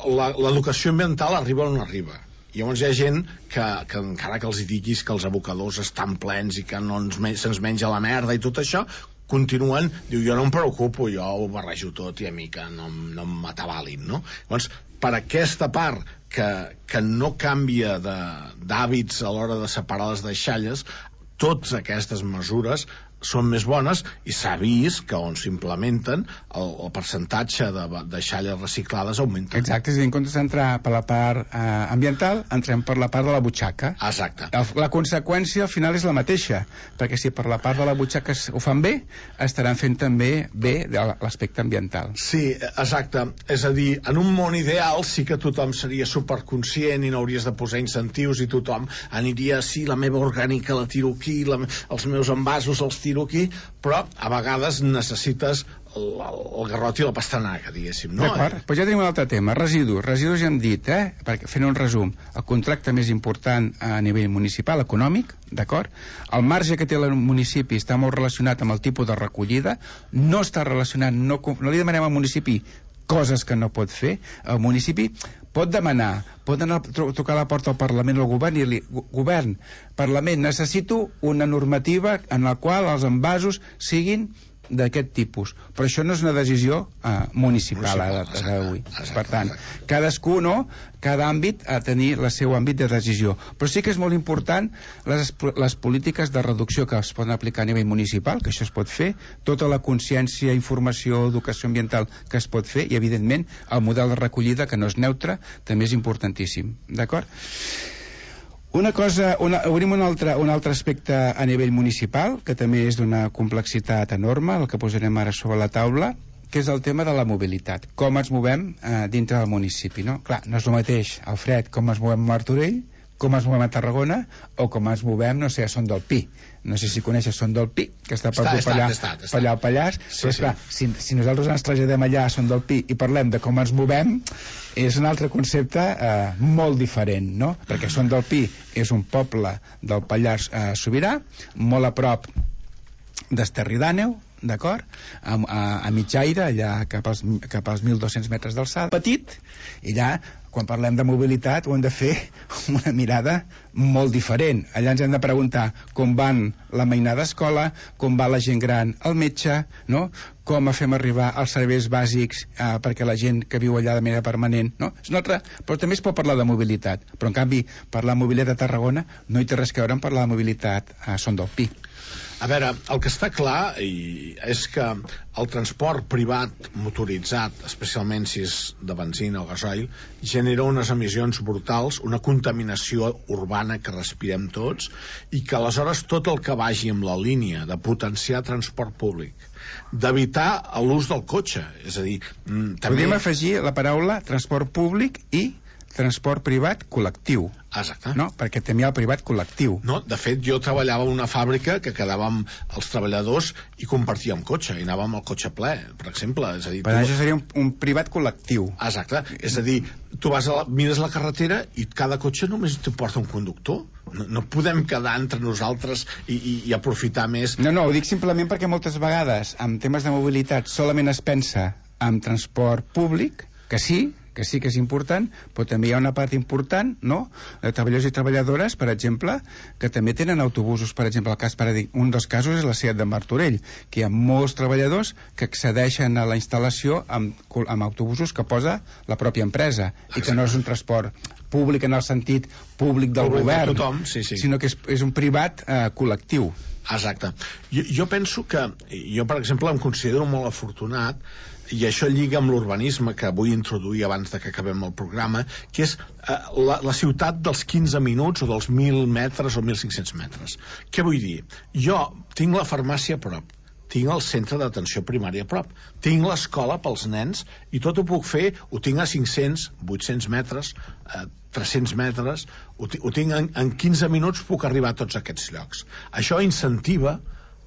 l'educació ambiental arriba on arriba. Llavors hi ha gent que, que encara que els diguis que els abocadors estan plens i que no ens, se'ns menja la merda i tot això, continuen, diu, jo no em preocupo, jo ho barrejo tot i a mi que no, no m'atabalin, no? Llavors, per aquesta part que, que no canvia d'hàbits a l'hora de separar les deixalles, totes aquestes mesures són més bones i s'ha vist que on s'implementen el, el percentatge de deixalles reciclades augmenta. Exacte, és a dir, en comptes d'entrar per la part eh, ambiental, entrem per la part de la butxaca. Exacte. El, la conseqüència al final és la mateixa, perquè si per la part de la butxaca ho fan bé, estaran fent també bé l'aspecte ambiental. Sí, exacte. És a dir, en un món ideal sí que tothom seria superconscient i no hauries de posar incentius i tothom aniria, sí, la meva orgànica la tiro aquí, la, els meus envasos els tiro aquí, però a vegades necessites el, el garrot i la pastanaga, diguéssim, no? D'acord, doncs ja tenim un altre tema, residus. Residus ja hem dit, eh? Perquè, fent un resum, el contracte més important a nivell municipal, econòmic, d'acord? El marge que té el municipi està molt relacionat amb el tipus de recollida, no està relacionat, no, no li demanem al municipi coses que no pot fer. El municipi pot demanar, pot anar a tocar a la porta al Parlament o al govern i dir-li, govern, Parlament, necessito una normativa en la qual els envasos siguin d'aquest tipus, però això no és una decisió eh, municipal ara d'avui. Per tant, cadascú, no, cada àmbit ha de tenir el seu àmbit de decisió, però sí que és molt important les, les polítiques de reducció que es poden aplicar a nivell municipal, que això es pot fer, tota la consciència, informació, educació ambiental que es pot fer, i evidentment el model de recollida, que no és neutre, també és importantíssim, d'acord? Una cosa, una, obrim un altre, un altre aspecte a nivell municipal, que també és d'una complexitat enorme, el que posarem ara sobre la taula, que és el tema de la mobilitat. Com ens movem eh, dintre del municipi, no? Clar, no és el mateix, Alfred, com ens movem a Martorell, com ens movem a Tarragona, o com ens movem, no sé, a Son del Pi. No sé si coneixes Son del Pi, que està per allà, per allà al Pallars, sí, però esclar, sí. si, si nosaltres ens traslladem allà a Son del Pi i parlem de com ens movem, és un altre concepte eh, molt diferent, no? Perquè Son del Pi és un poble del Pallars eh, Sobirà, molt a prop d'Esterri d'Àneu, d'acord? A, a, a mitjaire, allà cap als, cap als mil dos-cents metres d'alçada, petit, i allà quan parlem de mobilitat ho hem de fer amb una mirada molt diferent. Allà ens hem de preguntar com van la mainada d'escola, com va la gent gran al metge, no? Com fem arribar els serveis bàsics eh, perquè la gent que viu allà de manera permanent, no? És una altra... Però també es pot parlar de mobilitat, però en canvi parlar de mobilitat a Tarragona no hi té res a veure amb parlar de mobilitat a Son del Pi. A veure, el que està clar i és que el transport privat motoritzat, especialment si és de benzina o gasoil, genera unes emissions brutals, una contaminació urbana que respirem tots, i que aleshores tot el que vagi amb la línia de potenciar transport públic, d'evitar l'ús del cotxe, és a dir... També... Podríem afegir la paraula transport públic i transport privat col·lectiu. Exacte. No? Perquè també hi ha el privat col·lectiu. No, de fet, jo treballava en una fàbrica que quedàvem els treballadors i compartíem cotxe, i anàvem al cotxe ple, per exemple. És a dir, per tu... això seria un, un privat col·lectiu. Exacte. És a dir, tu vas a la, mires la carretera i cada cotxe només te porta un conductor. No, no podem quedar entre nosaltres i, i, i aprofitar més. No, no, ho dic simplement perquè moltes vegades en temes de mobilitat solament es pensa en transport públic, que sí, que sí que és important, però també hi ha una part important, no?, de treballadors i treballadores, per exemple, que també tenen autobusos. Per exemple, el cas paradig... un dels casos és la SEAT de Martorell, que hi ha molts treballadors que accedeixen a la instal·lació amb, amb autobusos que posa la pròpia empresa. Exacte. I que no és un transport públic en el sentit públic del públic govern, de tothom, sí, sí. sinó que és, és un privat eh, col·lectiu. Exacte. Jo, jo penso que, jo per exemple em considero molt afortunat, i això lliga amb l'urbanisme que vull introduir abans de que acabem el programa, que és eh, la, la ciutat dels quinze minuts o dels mil metres o mil cinc-cents metres. Què vull dir? Jo tinc la farmàcia a prop, tinc el centre d'atenció primària a prop, tinc l'escola pels nens i tot ho puc fer, ho tinc a cinc-cents, vuit-cents metres, eh, tres-cents metres, ho, ho tinc en, en quinze minuts puc arribar a tots aquests llocs. Això incentiva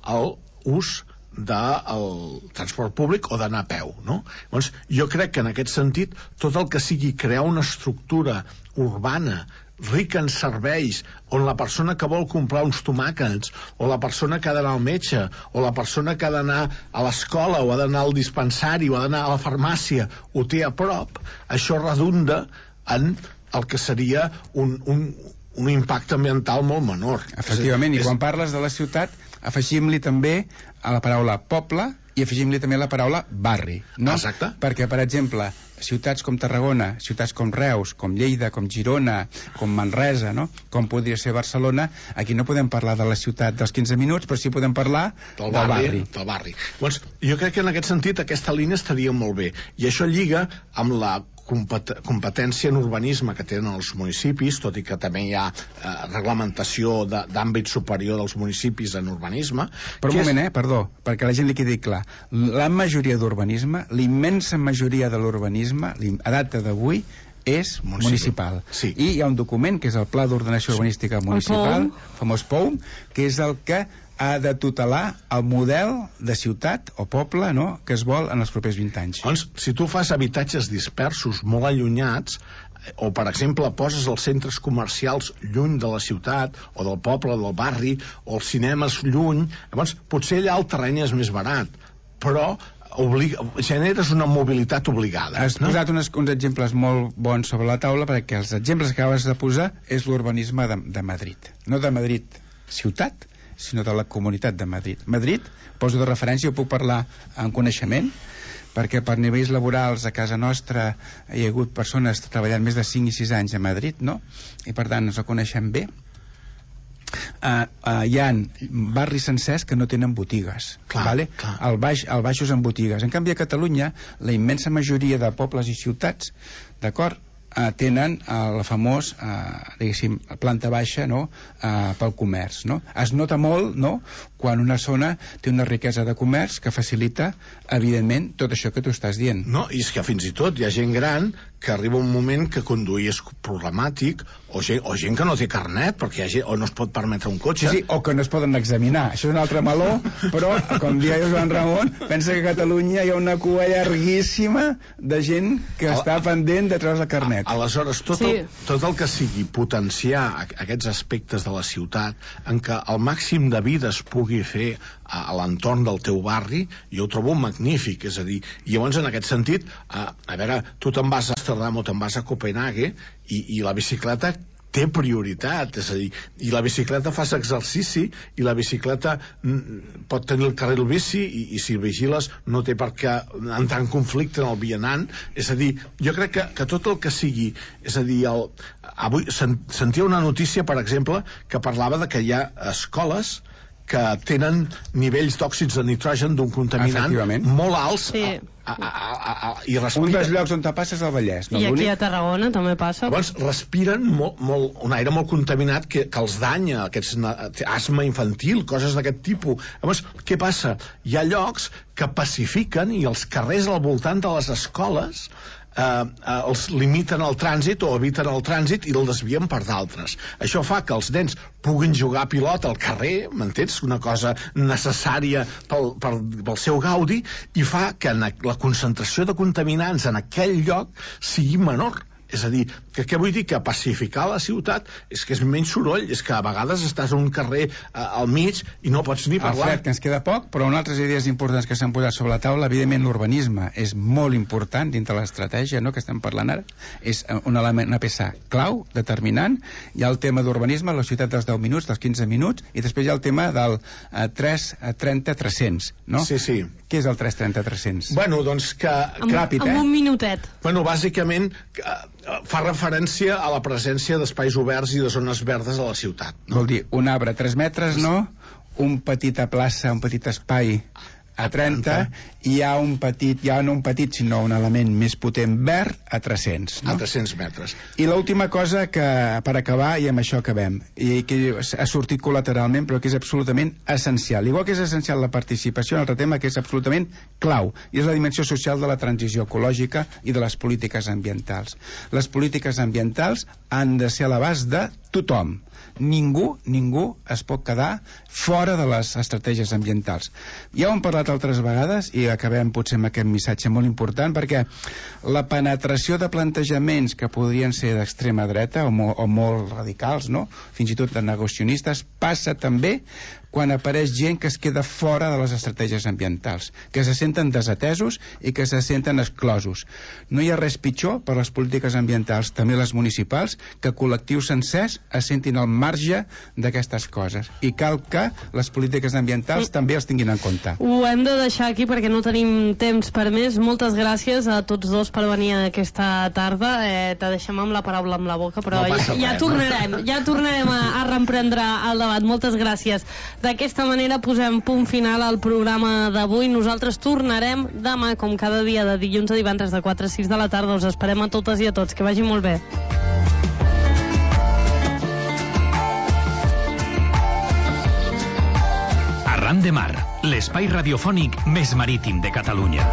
l'ús del transport públic o d'anar a peu, no? Llavors, jo crec que en aquest sentit tot el que sigui crear una estructura urbana rica en serveis, on la persona que vol comprar uns tomàquets, o la persona que ha d'anar al metge, o la persona que ha d'anar a l'escola, o ha d'anar al dispensari, o ha d'anar a la farmàcia, ho té a prop, això redunda en el que seria un, un, un impacte ambiental molt menor. Efectivament, i quan parles de la ciutat, afegim-li també a la paraula poble i afegim-li també la paraula barri, no? Exacte. Perquè, per exemple, ciutats com Tarragona, ciutats com Reus, com Lleida, com Girona, com Manresa, no? Com podria ser Barcelona, aquí no podem parlar de la ciutat dels quinze minuts, però sí podem parlar del, del barri. barri. Del barri. Doncs, jo crec que en aquest sentit aquesta línia estaria molt bé. I això lliga amb la competència en urbanisme que tenen els municipis, tot i que també hi ha eh, reglamentació d'àmbit superior dels municipis en urbanisme. Però un moment, és... eh, perdó, perquè la gent li quedi clar. La majoria d'urbanisme, l'immensa majoria de l'urbanisme, a data d'avui, és municipal. municipal. Sí. I hi ha un document, que és el Pla d'Ordenació Urbanística Municipal, el famós P O U M, que és el que ha de tutelar el model de ciutat o poble, no?, que es vol en els propers vint anys. Doncs, si tu fas habitatges dispersos molt allunyats, o per exemple poses els centres comercials lluny de la ciutat o del poble, del barri, o els cinemes lluny, llavors potser allà el terreny és més barat, però obliga, generes una mobilitat obligada. Has no? posat uns, uns exemples molt bons sobre la taula, perquè els exemples que acabes de posar és l'urbanisme de, de Madrid, no de Madrid ciutat, sinó de la Comunitat de Madrid. Madrid, poso de referència, jo puc parlar en coneixement, perquè per nivells laborals a casa nostra hi ha hagut persones treballant més de cinc i sis anys a Madrid, no? I per tant ens el coneixem bé. Uh, uh, hi ha barris sencers que no tenen botigues, clar, vale? clar. El baix, el baixos en botigues. En canvi a Catalunya la immensa majoria de pobles i ciutats, d'acord, Uh, tenen uh, la famós uh, diguéssim, planta baixa, no?, uh, pel comerç, no? Es nota molt, no?, quan una zona té una riquesa de comerç que facilita, evidentment, tot això que tu estàs dient. No, i és que fins i tot hi ha gent gran que arriba un moment que conduir és problemàtic, o gent, o gent que no té carnet perquè hi ha gent, o no es pot permetre un cotxe. Sí, sí, o que no es poden examinar. Això és un altre meló, però, com dia Joan Ramon, pensa que a Catalunya hi ha una cua llarguíssima de gent que a, està pendent de treure el carnet. A, aleshores, tot, sí. el, tot el que sigui potenciar aquests aspectes de la ciutat en què el màxim de vida es pugui fer a, a l'entorn del teu barri, jo ho trobo magnífic, és a dir, i llavors en aquest sentit, a, a veure, tu te'n vas a Amsterdam o te'n vas a Copenhague i, i la bicicleta té prioritat, és a dir, i la bicicleta fas exercici i la bicicleta mm, pot tenir el carril bici i, i si vigiles no té per què entrar en conflicte en el vianant, és a dir, jo crec que, que tot el que sigui, és a dir, el, avui sen, sentia una notícia, per exemple, que parlava de que hi ha escoles que tenen nivells d'òxids de nitrogen d'un contaminant molt alts sí. a, a, a, a, i respiren. Un dels llocs on te passes al Vallès, no? I aquí a Tarragona també passa. Llavors respiren molt, molt, un aire molt contaminat que, que els danya, aquests asma infantil, coses d'aquest tipus. Llavors, què passa? Hi ha llocs que pacifiquen i els carrers al voltant de les escoles Eh, eh, els limiten el trànsit o eviten el trànsit i el desvien per d'altres. Això fa que els nens puguin jugar a pilota al carrer, m'entens? Una cosa necessària pel, pel, pel seu gaudi, i fa que la concentració de contaminants en aquell lloc sigui menor. És a dir, que què vull dir? Que pacificar la ciutat és que és menys soroll, és que a vegades estàs a un carrer eh, al mig i no pots ni parlar. Alfred, que ens queda poc, però una altres idees importants que s'han posat sobre la taula, evidentment l'urbanisme és molt important dintre l'estratègia, no?, que estem parlant ara, és un element, una peça clau, determinant. Hi ha el tema d'urbanisme, la ciutat dels deu minuts, dels quinze minuts, i després hi ha el tema del eh, tres trenta tres cents, no? Sí, sí. Què és el tres trenta tres cents? Bueno, doncs que... Amb, ràpid, amb eh? un minutet. Bueno, bàsicament... Que, fa referència a la presència d'espais oberts i de zones verdes a la ciutat. No? Vol dir, un arbre a tres metres, no? Un petita plaça, un petit espai a trenta, i hi ha un petit, ja no un petit, sinó un element més potent verd a tres-cents. No? A tres-cents metres. I l'última cosa que, per acabar, i amb això acabem, i que ha sortit col·lateralment, però que és absolutament essencial. Igual que és essencial la participació, un altre tema que és absolutament clau, i és la dimensió social de la transició ecològica i de les polítiques ambientals. Les polítiques ambientals han de ser a l'abast de tothom. Ningú, ningú es pot quedar fora de les estratègies ambientals. Ja ho hem parlat altres vegades i acabem potser amb aquest missatge molt important, perquè la penetració de plantejaments que podrien ser d'extrema dreta o, mo o molt radicals, no?, fins i tot de negacionistes, passa també quan apareix gent que es queda fora de les estratègies ambientals, que se senten desatesos i que se senten exclosos. No hi ha res pitjor per les polítiques ambientals, també les municipals, que col·lectius sencers es sentin al marge d'aquestes coses. I cal que les polítiques ambientals mm. també els tinguin en compte. Ho hem de deixar aquí perquè no tenim temps per més. Moltes gràcies a tots dos per venir aquesta tarda. Eh, te deixem amb la paraula amb la boca, però no ja, ja tornarem, ja tornarem a, a reemprendre el debat. Moltes gràcies. D'aquesta manera posem punt final al programa d'avui. Nosaltres tornarem demà, com cada dia, de dilluns a divendres, de quatre a sis de la tarda. Us esperem a totes i a tots. Que vagi molt bé. Arran de Mar, l'espai radiofònic més marítim de Catalunya.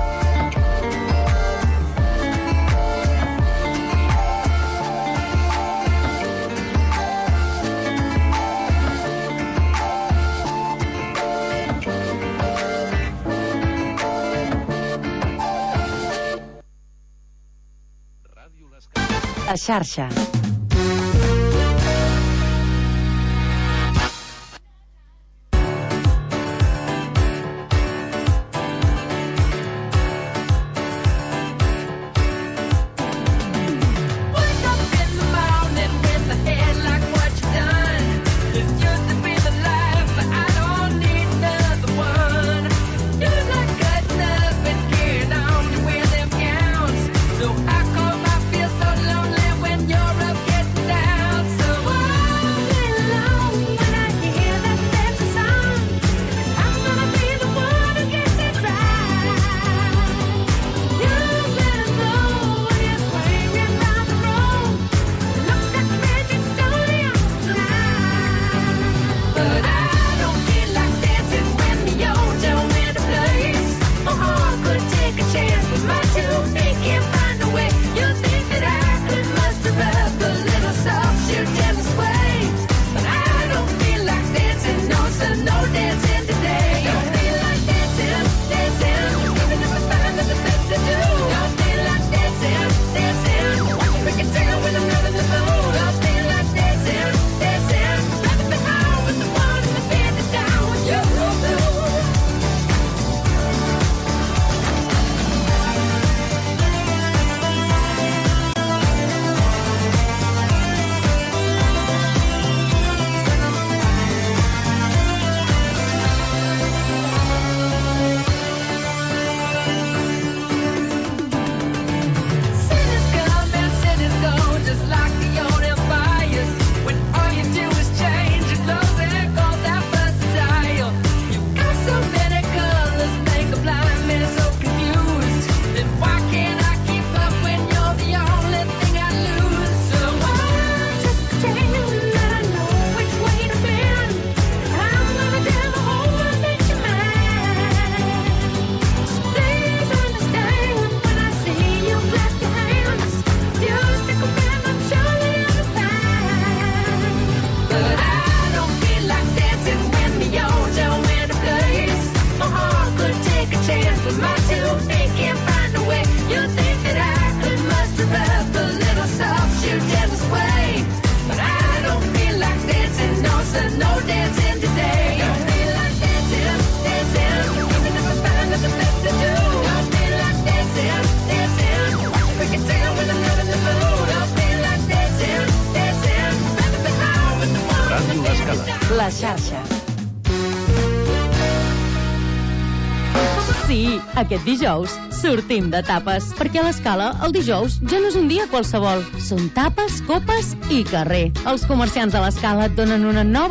A xarxa. You're a l'Escala. La xarxa. Sí, aquest dijous sortim de tapes, perquè a l'Escala el dijous ja no és un dia qualsevol. Són tapes, copes i carrer. Els comerciants de l'Escala et donen una nova